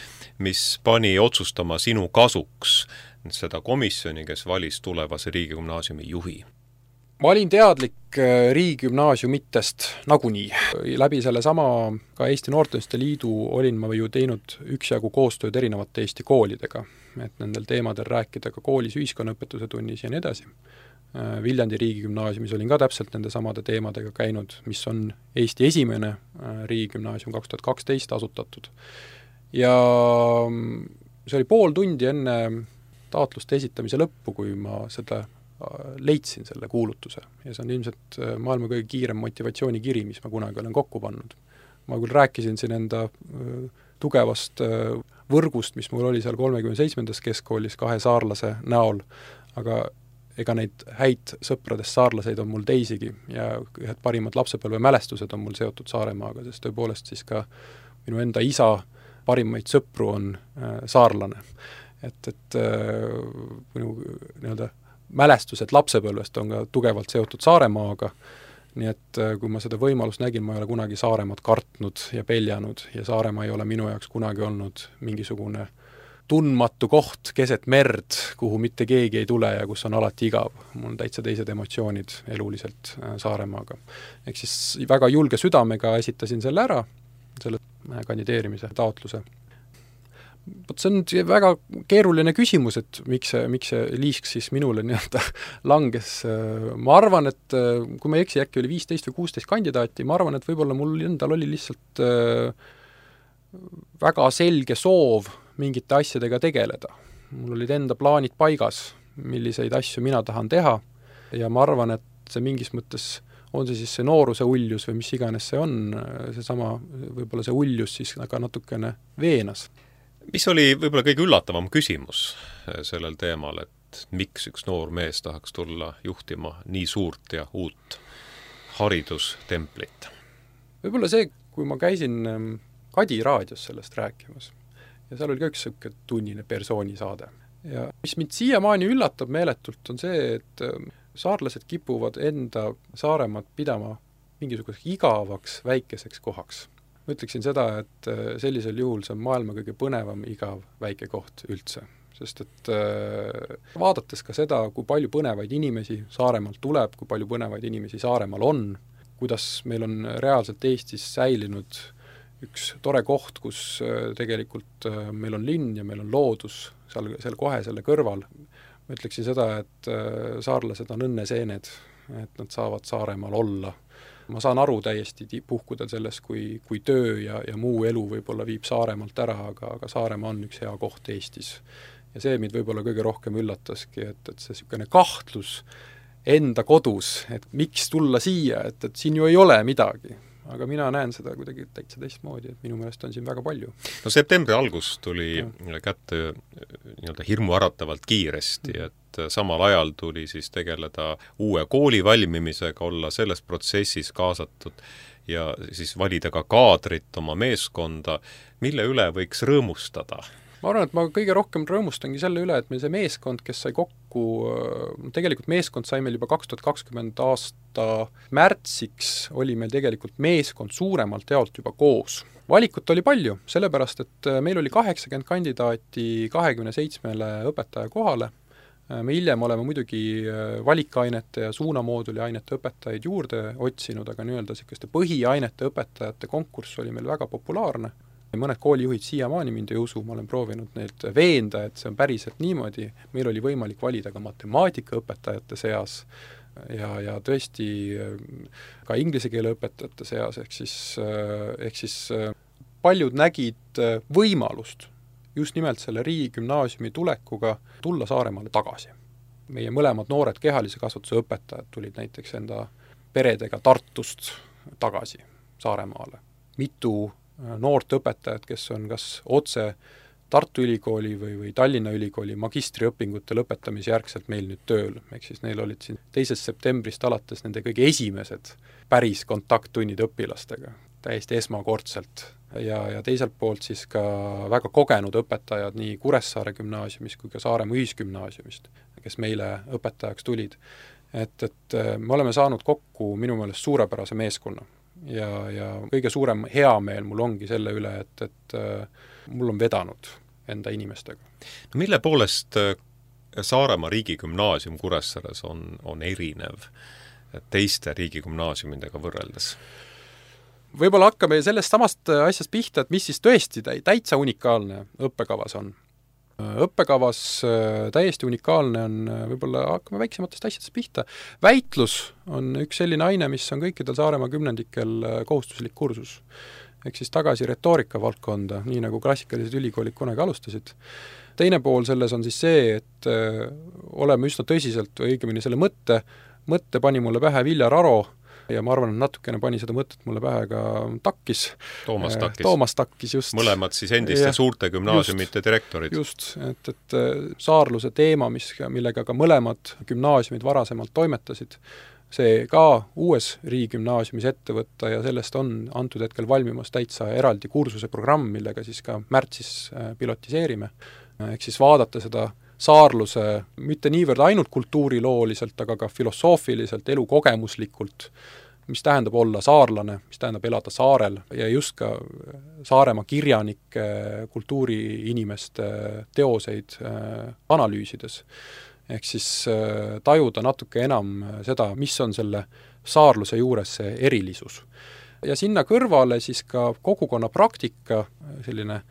mis pani otsustama sinu kasuks seda komisjoni, kes valis tulevase riigigümnaasiumi juhi? Ma olin teadlik riigigümnaasiumitest nagunii. Läbi selle sama ka Eesti Noorteühenduste Liidu olin ma ju teinud üksjagu koostööd erinevate Eesti koolidega. et nendel teemadel rääkida ka koolis ühiskonnaõpetuse tunnis ja nii edasi. Viljandi riigigümnaasiumis olin ka täpselt nende samade teemadega käinud, mis on Eesti esimene riigigümnaasium kaks tuhat kaksteist asutatud. Ja see oli pool tundi enne taotluste esitamise lõppu, kui ma seda leidsin selle kuulutuse. Ja see on ilmselt maailma kõige kiirem motivatsioonikiri, mis ma kunagi olen kokku pannud. Ma küll rääkisin siin enda tugevast võrgust, mis mul oli seal kolmekümne seitsmendas keskkoolis kahe saarlase näol, aga ega neid häid sõpradest saarlaseid on mul teisigi ja ühed parimad lapsepõlve mälestused on mul seotud Saaremaaga, sest tõepoolest siis ka minu enda isa parimaid sõpru on äh, saarlane. Et, et äh, minu nii-öelda mälestused lapsepõlvest on ka tugevalt seotud Saaremaaga, nii et äh, kui ma seda võimalust nägin, ma ei ole kunagi Saaremaad kartnud ja peljanud ja Saaremaa ei ole minu jaoks kunagi olnud mingisugune tundmatu koht keset merd, kuhu mitte keegi ei tule ja kus on alati igav. Mul on täitsa teised emotsioonid eluliselt Saaremaaga. Ehk siis väga julge südamega esitasin selle ära, selle kandideerimise taotluse. See on väga keeruline küsimus, et miks see, miks see liisk siis minule nii-öelda langes. Ma arvan, et kui ma ei eksi, äkki oli viisteist või kuusteist kandidaati, ma arvan, et võib-olla mul endal oli lihtsalt väga selge soov mingite asjadega tegeleda. Mul olid enda plaanid paigas, milliseid asju mina tahan teha ja ma arvan, et see mingis mõttes on see siis see nooruse uljus või mis iganes see on, see sama, võib-olla see uljus siis aga natukene veenas. Mis oli võib-olla kõige üllatavam küsimus sellel teemal, et miks üks noor mees tahaks tulla juhtima nii suurt ja uut haridustemplit? Võib-olla see, kui ma käisin Kadi raadios sellest rääkimas, ja seal oli ka üks selline tunnine persoonisaade. Ja mis mind siiamaani üllatab meeletult, on see, et saarlased kipuvad enda Saaremaad pidama mingisuguseks igavaks väikeseks kohaks. Ma ütleksin seda, et sellisel juhul see on maailma kõige põnevam igav väike koht üldse. Sest et vaadates ka seda, kui palju põnevaid inimesi Saaremaalt tuleb, kui palju põnevaid inimesi Saaremaal on, kuidas meil on reaalselt Eestis säilinud üks tore koht, kus tegelikult meil on linn ja meil on loodus seal, seal kohe selle kõrval. Ma ütleksin seda, et saarlased on õnneseened, et nad saavad Saaremaal olla. Ma saan aru täiesti puhkudel selles, kui, kui töö ja, ja muu elu võib-olla viib Saaremaalt ära, aga, aga Saaremaa on üks hea koht Eestis. Ja see mind võib-olla kõige rohkem üllataski, et, et see niisugune kahtlus enda kodus, et miks tulla siia, et, et siin ju ei ole midagi. Aga mina näen seda kuidagi täitsa teistmoodi, et minu meelest on siin väga palju. No septembri algus tuli ja. kätte nii-öelda hirmuäratavalt kiiresti, et samal ajal tuli siis tegeleda uue kooli valmimisega, olla selles protsessis kaasatud ja siis valida ka kaadrit oma meeskonda, mille üle võiks rõõmustada. Ma arvan, et ma kõige rohkem rõõmustangi selle üle, et meil see meeskond, kes sai kokku, tegelikult meeskond sai meil juba kaks tuhat kakskümmend aasta märtsiks, oli meil tegelikult meeskond suuremalt jaolt juba koos. Valikut oli palju, sellepärast, et meil oli kaheksakümmend kandidaati kahekümne seitsmele õpetaja kohale. Me hiljem oleme muidugi valikainete ja suunamooduli ainete õpetajaid juurde otsinud, aga nii-öelda selliseste põhiainete õpetajate konkurss oli meil väga populaarne. Mõned koolijuhid siiamaani mind ei usu, ma olen proovinud neid veenda, et see on päriselt niimoodi. Meil oli võimalik valida ka matemaatikaõpetajate seas ja, ja tõesti ka inglise keele õpetajate seas, ehk siis, ehk siis paljud nägid võimalust just nimelt selle riigigümnaasiumi tulekuga tulla Saaremaale tagasi. Meie mõlemad noored kehalise kasvatuse õpetajad tulid näiteks enda peredega Tartust tagasi Saaremaale. Mitu noort õpetajad, kes on kas otse Tartu Ülikooli või, või Tallinna Ülikooli magistriõpingute lõpetamise järgselt meil nüüd tööl. Ehk siis neil olid siin teisest septembrist alates nende kõige esimesed päris kontakttunnid õpilastega, täiesti esmakordselt. Ja, ja teiselt poolt siis ka väga kogenud õpetajad nii Kuressaare gümnaasiumist kui ka Saaremaa ühisgümnaasiumist, kes meile õpetajaks tulid. Et, et me oleme saanud kokku minu meelest suurepärase meeskonna. Ja, ja kõige suurem heameel mul ongi selle üle, et, et mul on vedanud enda inimestega. No mille poolest Saaremaa riigigümnaasium Kuressaares on, on erinev teiste riigigümnaasiumidega võrreldes? Võib-olla hakkame sellest samast asjast pihta, et mis siis tõesti täitsa unikaalne õppekavas on. õppekavas täiesti unikaalne on, võib-olla hakkame väiksematest asjadest pihta, väitlus on üks selline aine, mis on kõikidel Saaremaa kümnendikel kohustuslik kursus. Ehk siis tagasi retoorika valdkonda, nii nagu klassikalised ülikoolid kunagi alustasid. Teine pool selles on siis see, et oleme üsna tõsiselt, või õigemini selle mõtte, mõtte pani mulle pähe Viljar Aro, ja ma arvan, et natukene pani seda mõtet mulle pähe ka Takkis. Toomas Takkis. Toomas Takkis, just. Mõlemad siis endiste ja, suurte gümnaasiumite just, direktorid. Just, et, et saarluse teema, mis, millega ka mõlemad gümnaasiumid varasemalt toimetasid, see ka uues riigigümnaasiumis ette võtta ja sellest on antud hetkel valmimas täitsa eraldi kursuse programm, millega siis ka märtsis pilotiseerime. Ehk siis vaadata seda saarluse mitte niivõrd ainult kultuurilooliselt, aga ka filosoofiliselt, elukogemuslikult, mis tähendab olla saarlane, mis tähendab elada saarel ja just ka Saaremaa kirjanike, kultuuriinimeste teoseid analüüsides. Ehk siis tajuda natuke enam seda, mis on selle saarluse juures see erilisus. Ja sinna kõrvale siis ka kogukonna praktika, selline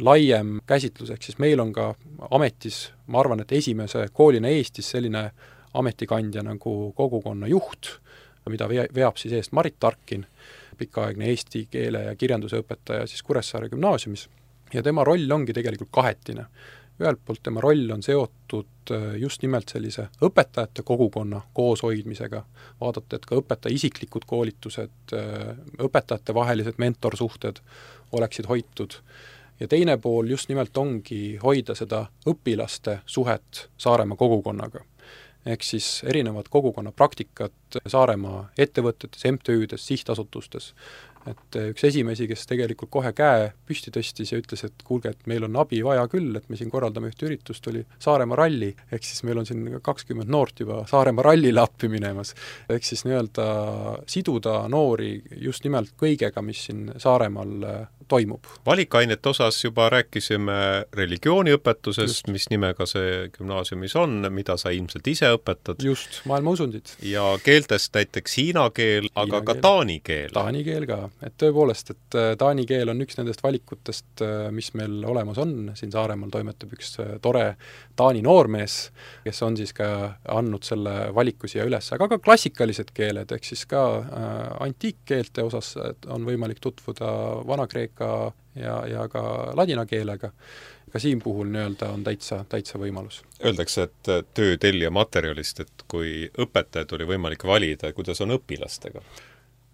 laiem käsitlus, ehk siis meil on ka ametis, ma arvan, et esimese koolina Eestis selline ametikandja nagu kogukonna juht, mida veab siis eest Marit Tarkin, pikaaegne eesti keele ja kirjanduse õpetaja siis Kuressaare gümnaasiumis. Ja tema roll ongi tegelikult kahetine. Ühelt poolt tema roll on seotud just nimelt sellise õpetajate kogukonna kooshoidmisega, vaadata, et ka õpetaja isiklikud koolitused, õpetajate vahelised mentorsuhted oleksid hoitud. Ja teine pool just nimelt ongi hoida seda õpilaste suhet Saaremaa kogukonnaga. Ehk siis erinevad kogukonna praktikat Saaremaa ettevõtetes, M T Üdes, sihtasutustes. Et üks esimesi, kes tegelikult kohe käe püsti tõstis ja ütles, et kuulge, et meil on abi vaja küll, et me siin korraldame ühte üritust, oli Saaremaa ralli, ehk siis meil on siin kakskümmend noort juba Saaremaa rallile appi minemas. Ehk siis nii-öelda siduda noori just nimelt kõigega, mis siin Saaremaal toimub. Valikainete osas juba rääkisime religiooniõpetusest, just. Mis nimega see gümnaasiumis on, mida sa ilmselt ise õpetad. Just, maailma usundid. Ja keeltest näiteks hiina keel, Hiina aga ka keel. taani keel. Taani keel ka. Et tõepoolest, et taani keel on üks nendest valikutest, mis meil olemas on. Siin Saaremaal toimetab üks tore taani noormees, kes on siis ka andnud selle valiku siia üles, aga ka klassikalised keeled, ehk siis ka antiikkeelte osas on võimalik tutvuda Vana-Kreeka ja, ja ka ladina keelega. Ka siin puhul nii-öelda on täitsa, täitsa võimalus. Öeldakse, et töö tellija materjalist, et kui õpetajad oli võimalik valida, kuidas on õpilastega?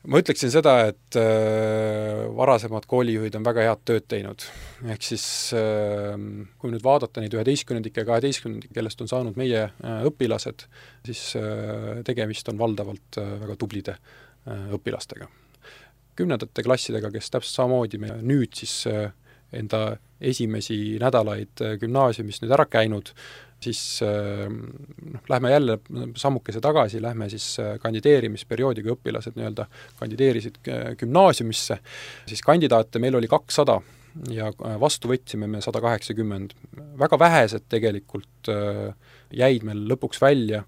Ma ütleksin seda, et äh, varasemad koolijuhid on väga head tööd teinud. Ehk siis, äh, kui nüüd vaadata neid üheteistkümnendike ja kaheteistkümnendike, kellest on saanud meie äh, õpilased, siis äh, tegemist on valdavalt äh, väga tublide äh, õpilastega. Kümnendate klassidega, kes täpselt samamoodi me nüüd siis äh, enda esimesi nädalaid äh, gümnaasiumis nüüd ära käinud, siis noh, lähme jälle sammukese tagasi, lähme siis kandideerimisperioodiga õpilased nii-öelda kandideerisid gümnaasiumisse, siis kandidaate meil oli kakssada ja vastu võtsime me sada kaheksakümmend. Väga vähesed tegelikult jäid meil lõpuks välja,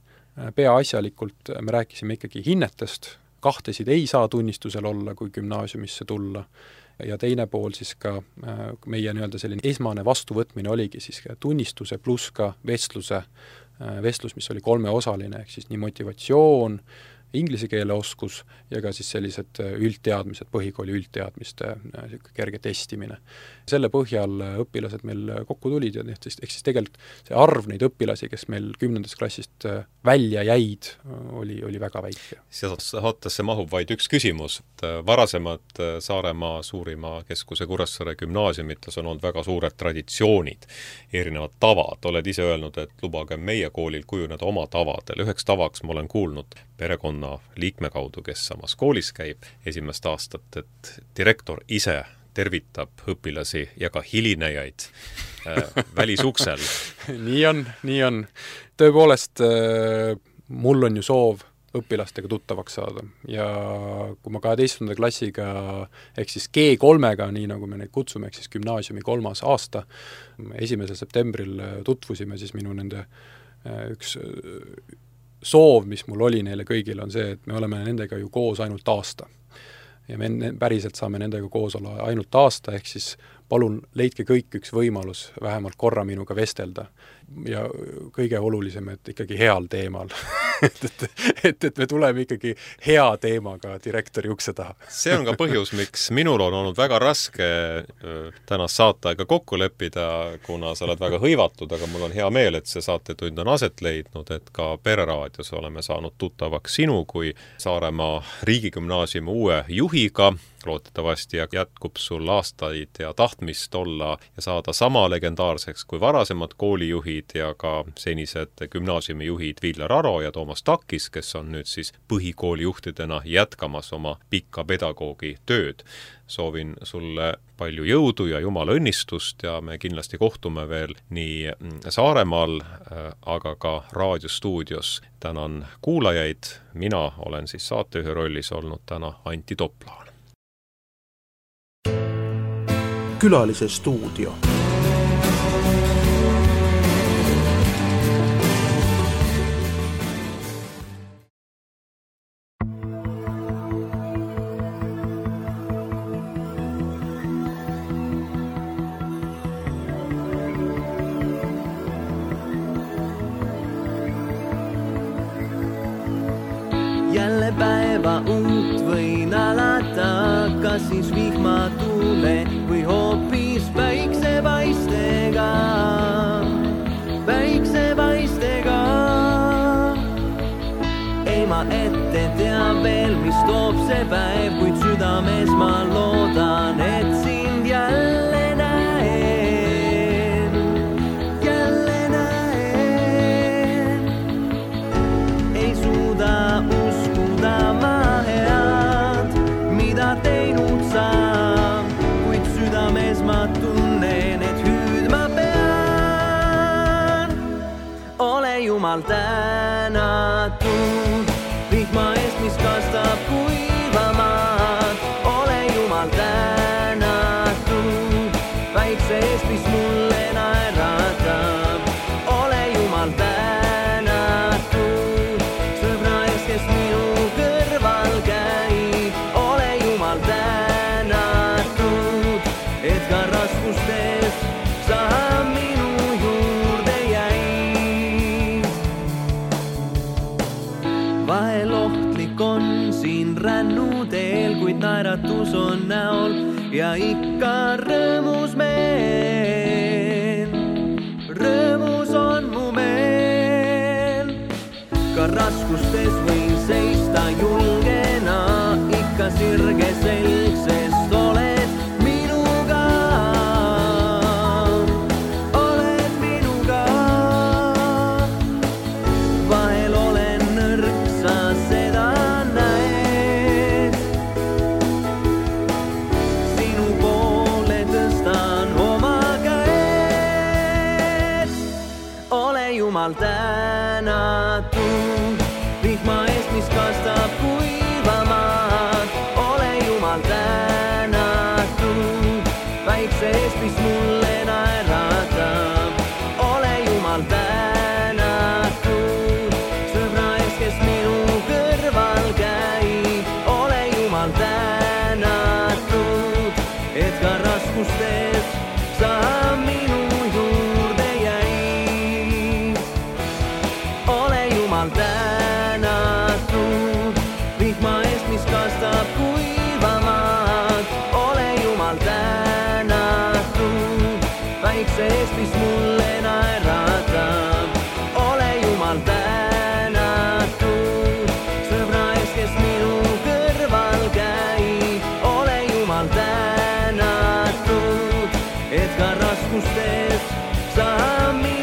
peaasjalikult me rääkisime ikkagi hinnetest, kahtesid ei saa tunnistusel olla, kui gümnaasiumisse tulla. Ja teine pool siis ka meie nii-öelda selline esmane vastuvõtmine oligi siis tunnistuse pluss ka vestluse, vestlus, mis oli kolmeosaline, ehk siis nii motivatsioon, inglise keele oskus ja ka siis sellised üldteadmised, põhikooli üldteadmiste kerge testimine. Selle põhjal õpilased meil kokku tulid ja ehk siis tegelikult see arv neid õpilasi, kes meil kümnendast klassist välja jäid, oli, oli väga väike. Saatesse mahub vaid üks küsimus. Varasemad Saaremaa suurima keskuse Kuressaare gümnaasiumites on olnud väga suured traditsioonid, erinevad tavad. Oled ise öelnud, et lubage meie koolil kujuneda oma tavadel. Üheks tavaks ma olen kuulnud perekonna liikme kaudu, kes samas koolis käib esimest aastat, et direktor ise tervitab õpilasi ja ka hilinejaid äh, välisuksel. nii on, nii on. Tõepoolest, äh, mul on ju soov õpilastega tuttavaks saada ja kui ma kaheteistkümnenda klassiga ehk siis G kolmega, nii nagu me neid kutsume, ehk siis gümnaasiumi kolmas aasta, esimesel septembril tutvusime, siis minu nende äh, üks soov, mis mul oli neile kõigile, on see, et me oleme nendega ju koos ainult aasta. Ja me päriselt saame nendega koos olla ainult aasta, ehk siis palun leidke kõik üks võimalus vähemalt korra minuga vestelda. Ja kõige olulisem, et ikkagi heal teemal. et, et, et, et me tuleme ikkagi hea teemaga direktori ukse taha. See on ka põhjus, miks minul on olnud väga raske tänast saateaega kokku leppida, kuna sa oled väga hõivatud, aga mul on hea meel, et see saatetund on aset leidnud, et ka Pereraadios oleme saanud tuttavaks sinu kui Saaremaa riigigümnaasiumi uue juhiga. Loodetavasti jätkub sul aastaid ja tahtmist olla ja saada sama legendaarseks kui varasemad koolijuhid ja ka senised gümnaasiumijuhid Viljar Aro ja Toomas Takis, kes on nüüd siis põhikoolijuhtidena jätkamas oma pikka pedagoogi tööd. Soovin sulle palju jõudu ja jumala õnnistust ja me kindlasti kohtume veel nii Saaremaal, aga ka raadiostuudios. Tänan kuulajaid, mina olen siis saatejuhi rollis olnud täna Antti Toplaan. Külalise stuudio. Jälle päeva uut võin alata, kas siis vihma tuule või hoopis päiksepaistega, päiksepaistega. Ei ma ette tea veel, mis toob see päev, kuid südames ma loodan, et sind jälle näen, jälle näen. Ei suuda uskuda ma head, mida teinud saan, kuid südames ma tunnen, et hüüd ma pean. Ole Jumal tänatud, vihma eest, mis kastab kuivamaad. Ole Jumal tänatud, väikse eest, mis mulle naeratab. Ole Jumal tänatud, sõbra eest, kes minu kõrval käib. Ole Jumal tänatud, et ka raskustes sa minu juurde jäid. Vahel ohtlik on siin rännuteel, kuid naeratus on näol ja ikka rõõmus meel. Rõõmus on mu meel. Ka raskustes võin seista julgena, ikka sirge selg, sest oled minuga. Oled minuga. Vahel olen nõrk, sa seda näed. Sinu poole tõstan oma käed. Ole Jumal tänatud, vihma eest, mis kastab kuivamaad. Ole Jumal tänatud, väikse eest, mis mulle naeratab. Ole Jumal tänatud, sõbra eest, kes minu kõrval käib. Ole Jumal tänatud, et ka raskustes sa minu juurde jäid. Ole Jumal tänatud, vihma eest, mis kastab kuivamaad. Ole Jumal tänatud, väikse eest, mis mulle naeratab. Ole Jumal tänatud, sõbra eest, kes minu kõrval käib. Ole Jumal tänatud, et ka raskustes sa minu